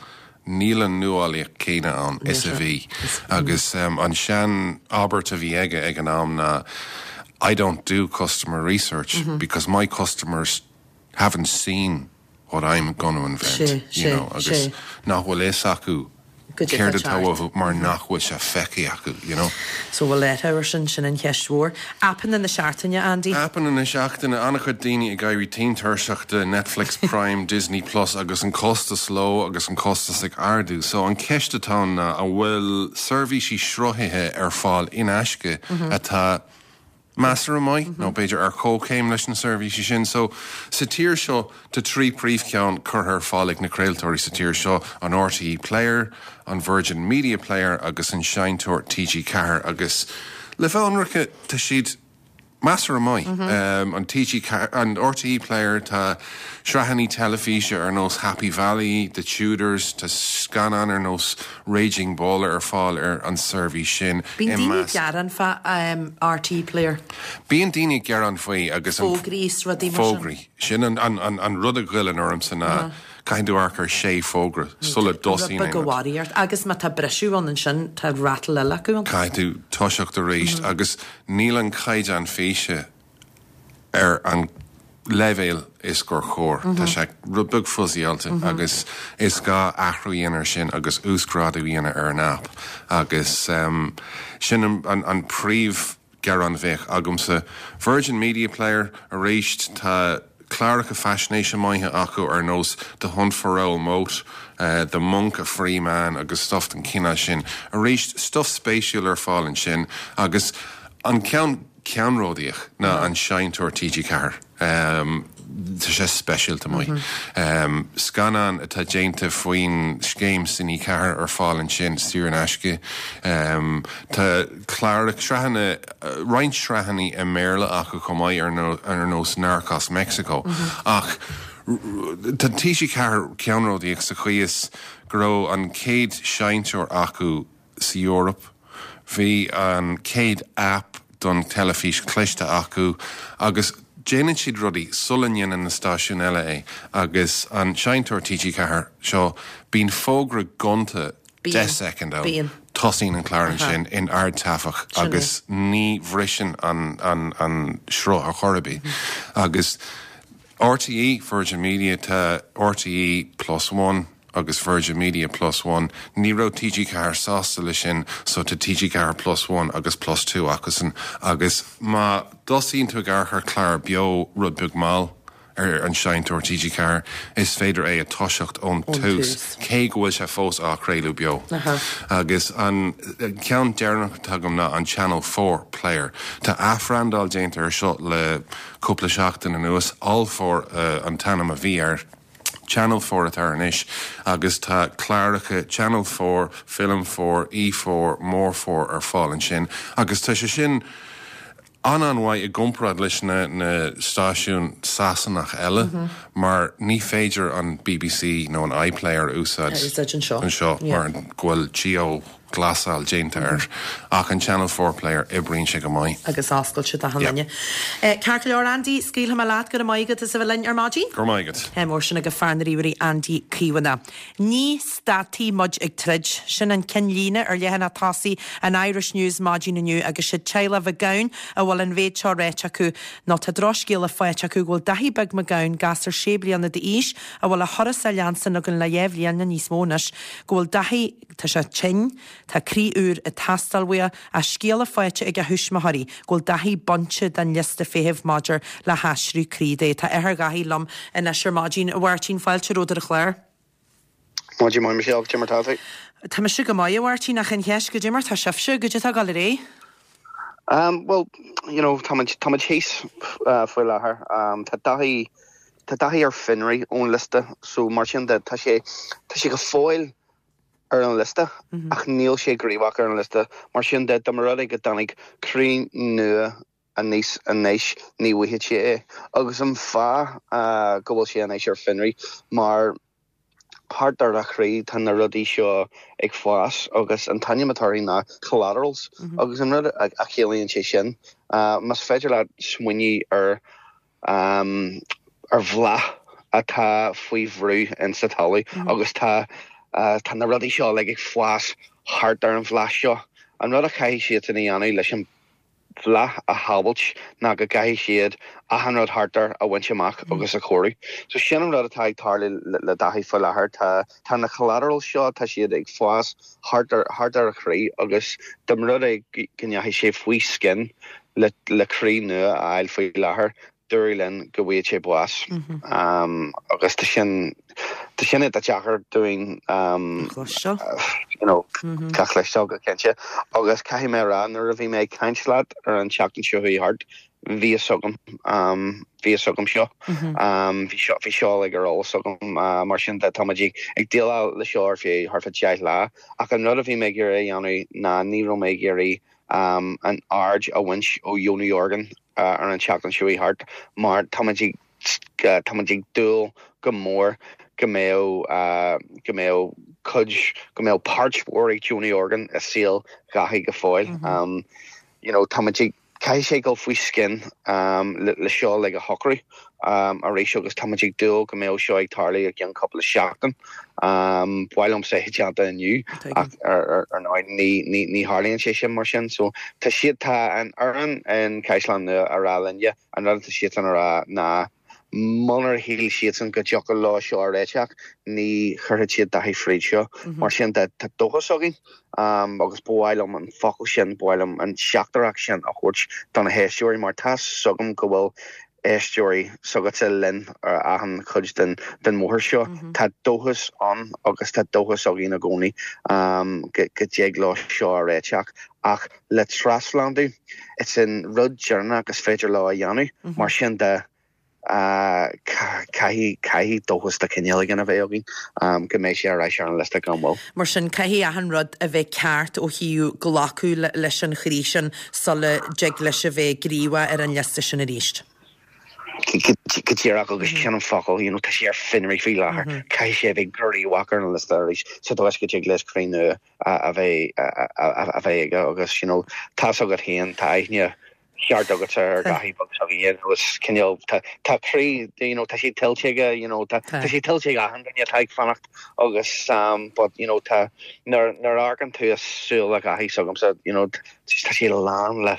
níl an nuálaíocht céanna ann is a bhí. Agus an sean abairt a bhí aige ag an am ná I don't do customer research because my customers haven't seen what I'm going to invent, you know, agus nach bhfuil fhios acu céard atá uathu mar nach bhfuil sé feicthe acu, you know. So bhfuil leathabhair sin, sin an cheist mhór. Aipeanna na seachtaine, Andy? Aipeanna na seachtaine, an-chuid daoine ag éirí tinn tuirseach de Netflix, Prime, Disney Plus agus an costas leo agus an costas ag ardú. So an ceist atá ann ná an bhfuil seirbhísí sruthaithe ar fáil in aisce atá measartha maith, nó b'fhéidir ar comhchéim leis na seirbhísí sin. So, sa tír seo, tá trí príomhcheann curtha ar fáil ag na craoltóirí sa tír seo, an RTÉ Player, an Virgin Media Player agus an seinnteoir TG4 agus, le bheith ionraice, tá siad measartha maith. An TG4, an RTÉ Player, tá sraitheanna teilifíse ar nós Happy Valley, The Tudors, tá scannáin ar nós Raging Bull ar fáil ar an seirbhís sin. Bíonn daoine ag gearán fá RTÉ Player. Bíonn daoine ag gearán faoi agus an. Fógraí is rudaí mar sin. Fógraí. Sin an rud a ghoilleann ormsa ná caithfidh tú amharc ar sé fógra sula dtosaíonn aon rud. Rud beag a mharaigh ort. Agus má tá briseadh ann ansin tá rattle eile acu ann. Caithfidh tú toiseacht arís agus níl an caighdeán físe ar an leibhéal is gur chóir. Tá sé rud beag fuzzyáilte agus is gá athrú a dhéanamh ar sin agus uasghrádú a dhéanamh ar an aip agus sin an príomh ghearán a bheadh agamsa. Virgin Media Player, arís tá cláracha faisnéise maithe acu ar nós The Hunt for Raoul Moat, The Monk, a Free Man agus stuff den chineál sin. Arís stuff spéisiúil ar fáil ansin agus an ceann ceannródaíoch ná an seinnteoir TG4. Tá sé speisialta maith. Scannán atá déanta faoin scéim Cine 4 ar fáil ansin saor in aisce. Tá cláracha, sraitheanna, roinnt sraitheanna i mBéarla acu chomh maith ar nós Narcos Mexico. Ach tá TG4 ceannródaíoch sa chaoi is go raibh an chéad seinnteoir acu sa Eoraip. Bhí an chéad aip don teilifís chliste acu agus déanann siad rudaí sula ndéanann na stáisiúin eile é agus an seinnteoir TG4 seo, bíonn fógra gonta 10 soicind ann, tosaíonn an clár ansin in ardtaifeach agus ní bhriseann an sruth ar chor ar bith. Agus RTÉ, Virgin Media, tá RTÉ Plus One, agus Virgin Media Plus One. Ní raibh TG4 sásta le sin so tá TG4 Plus One agus Plus Two acusan agus má thosaíonn tú ag amharc ar chlár beo rud beag mall ar an seinnteoir TG4 is féidir é a toiseacht ón tús cé go bhfuil sé fós á chraoladh beo. Agus an ceann deireanach atá agam ná an Channel 4 Player. Tá athbhrandáil déanta air seo le cúpla seachtain anuas, All 4 an t-ainm a bhí air. Channel 4 atá air anois agus tá cláracha Channel 4, Film 4, E4, More 4 ar fáil ansin agus tá sé sin an-an-mhaith i gcomparáid leis na na stáisiúin Sasanach eile mar ní féidir an bbc nó an iPlayer a úsáid anseo mar go bhfuil geo glasáil déanta air ach an Channel 4 Player oibríonn sé go maith. Agus oscailte d'achan duine. Ceart go leor Andy, scaoilfidh mé leat, go raibh maith agat as a bheith linn ar maidin. Go raibh maith agat. Ádh mór sin ag fear na ríomhairí Andy Caomhánach. Ní stadfaidh muid ag troid. Sin an ceannlíne ar leathanach tosaigh an Irish News maidin inniu agus siad teaghlach Mhic Gabhann a bhfuil an mhéid seo ráite acu nó tá drochscéala faighte acu go bhfuil Daithí Beag Mac Gabhann, gasúr sé bliana d'aois, a bhfuil a thuras á leanstan againn le dhá bhliain nó níos mó anois, go bhfuil Daithí, Tá sé tinn, tá croí úr ag teastáil uaidh, ach scéala faighte ag a thuismitheoirí go bhfuil Daithí bainte den liosta feithimh maidir le haistriú croí dó. Tá athair Dhaithí liom anois ar maidin. A Mháirtín, fáilte romhat ar an chlár. Maidin mhaith Michelle, cad é mar tá tú? Tá mise go maith, a Mháirtín, ach an cheist, goidé mar tá sibhse, goidé atá ag dul ar aghaidh? Um, well, you know, táimid, táimid thíos uh, faoi láthair. Um, tá Daithí, tá Daithí ar fionraí ón liosta, so mar sin de, tá sé, tá sé go fóill ar an liosta ach níl sé gníomhach ar an liosta. Mar sin de, dá mba rud é go dtáinig croí nua. aníos anois ní bhfaighidh sé é agus an fáth go bhfuil sé anois ar fionraí mar thart ar a chroí tá na rudaí seo ag fás agus an t-ainm atá orthu ná collaterals agus an rud a chiallaíonn sé sin más féidir leat smaoineamh ar ar bhláth atá faoi bhrú insa talamh agus tá tá na rudaí seo uilig ag fás thart ar an bhláth seo. An rud a chaithfidh siadsan a dhéanamh leis an bhláth a shábhailt ná go gcaithfidh siad achan rud thart air a bhaint amach agus a chóiriú. So sin an rud atá ag tarlú le Daithí faoi láthair. Tá tá na collaterals seo, tá siad ag fás thart ar thart ar a chroí agus dá mba rud é go ndeachaigh sé faoi scian le le croí nua a fháil faoi láthair, dúradh linn go bhfaigheadh sé bás. Agus tá sin, tá sin iontach deacair dúinn you know, a chloisteáil go cinnte. Agus caithfidh mé a rá, nuair a bhí mé ag caint leat ar an tseachtain seo chuaigh thart, bhí fhios agam, bhí fhios agam seo. Bhí seo, bhí seo uilig ar eolas agam. Mar sin de, tá muid ag déileáil le seo ar feadh thart fá 10 lá. Ach an rud a bhí mé ag iarraidh a dhéanamh ná ní raibh mé ag iarraidh an aird a bhaint ó dheonú orgán ar an tseachtain seo chuaigh thart mar táimid ag táimid ag dúil go mór go mbeadh go mbeadh cuid go mbeadh páirt mhór ag deonú orgán i saol Dhaithí go fóill. You know táimid ag caithfidh sé dul faoi scian le seo uilig a shocrú arís agus táimid ag dúil go mbeadh seo ag tarlú i gceann cúpla seachtain. Ba mhaith liomsa é déanta inniu ach ar ndóigh ní tharlaíonn sé sin mar sin. So tá siad, tá an fhoireann in Caisleán Nua a rá linne, an rud atá siadsan a rá ná munar shíl siadsan go dtiocfadh leo seo a réiteach, ní chuirfeadh siad Daithí fríd seo. Mar sin de, tá dóchas againn agus ba mhaith liom an focal sin, ba mhaith liom an teachtaireacht sin a thabhairt do na héisteoirí mar tá 's agam go bhfuil éisteoirí s'agatsa linn ar achan chuid den bhóthar seo. Tá dóchas ann agus tá dóchas againn i gcónaí go dtig leo seo a réiteach ach le trasphlandú, it's an rud deireanach is féidir leo a dhéanamh, mar sin de caithfidh, caithfidh dóchas de chineál éigin a bheith againn go mbeidh sé ar ais ar an liosta gan mhoill. Mar sin, caithfidh achan rud a bheith ceart ó thaobh glacadh leis an chroí sin sula dtig leis a bheith gníomhach ar an liosta sin arís. Go díreach, agus sin an focal, you know, tá sé ar fionraí faoi láthair, caithfidh sé a bheith gníomhach ar an liosta arís sa dóigh is go dtig leis croí nua a bheith a bheith aige agus, you know, tá's agat féin, tá aithne cheart agatsa ar Dhaithí beag s'againne, you know, is cineál, tá, tá croí, you know, tá sé tuillte aige, you know, tá, tá sé tuillte ag achan duine atá ag fanacht agus, um, but, you know, tá, nuair, nuair a amharcann tú i súile Dhaithí s'agamsa, you know, tá sé lán le,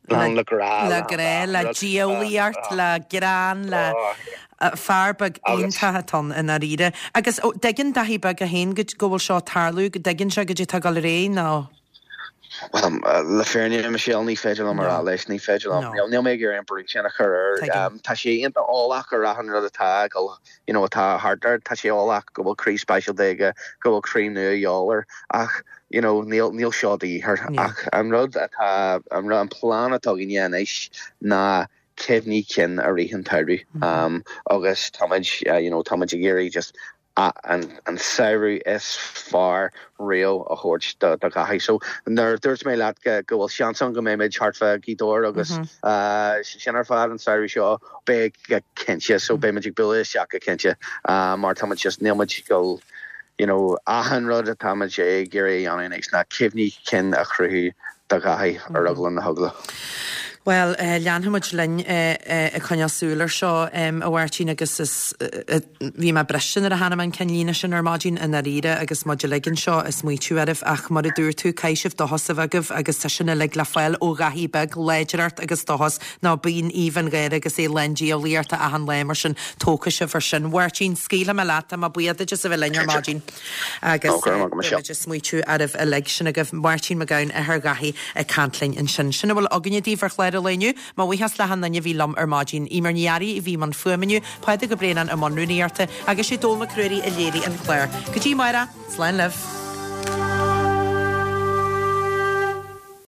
lán le grá, le grá, le diabhlaíocht, le greann, le fear beag iontach atá ann i ndáiríre. Agus, ó, dtuigeann Daithí beag é féin go, go bhfuil seo ag tarlú, go dtuigeann sé goidé atá ag dul ar aghaidh nó? Bhuel, le fírinne, Michelle, ní féidir liom a rá leis, ní féidir liom. Níl mé ag iarraidh an brú sin a chur air. Tá sé iontach eolach ar achan rud atá ag dul, you know, atá thart air. Tá sé eolach go bhfuil croí speisialta aige, go bhfuil croí nua de dhíobháil air, ach, you know, níl, níl seo de dhíth air. Ach an rud atá, an rud, an plean atá againne anois ná cuimhní cinn i rith an tsamhraidh. Agus táimid, you know, táimid ag iarraidh just an samhradh is fearr riamh a thabhairt do Dhaithí. So nuair a dúirt mé leat go bhfuil seans ann go mbeimid thart fá Ghaoth Dobhair agus sin ar fad an samhradh seo, beidh go cinnte. So beimid ag bualadh isteach go cinnte mar táimid just, níl muid ag dul, you know, achan rud atáimid ag iarraidh a dhéanamh anois ná cuimhní cinn a chruthú do Dhaithí ar eagla na heagla. Bhuel, leanfaidh muid linn ag coinneáil súil air seo, a Mháirtín, agus is, bhí mé briste nuair a chonaic mé an ceannlíne sin ar maidin, i ndáiríre, agus muid uilig anseo ag smaoitiú oraibh, ach mar a dúirt tú, caithfidh sibh dóchas a bheith agaibh agus tá sin uilig le fáil ó Dhaithí beag, láidreacht agus dóchas, nó bíonn aoibh an gháire agus é lán diabhlaíochta achan lá, mar sin, tógfaidh sibh ar sin. Mháirtín, scaoilfidh mé leat, tá mé buíoch duit as a bheith linn ar maidin. Agus beimid ag smaoitiú oraibh uilig. Sin agaibh Máirtín Mac Gabhann, athair Dhaithí, ag caint linn ansin. Sin a bhfuil againne daoibh ar chlár an lae inniu. Mo bhuíochas le hachan duine a bhí liom ar maidin. Eimear Ní Fhearraigh a bhí i mbun fuaime inniu, Pádraig Ó Braonáin i mbun rúnaíochta, agus sé Dónall Mac Ruairí a léirigh an clár. Go dtí amárach, slán libh.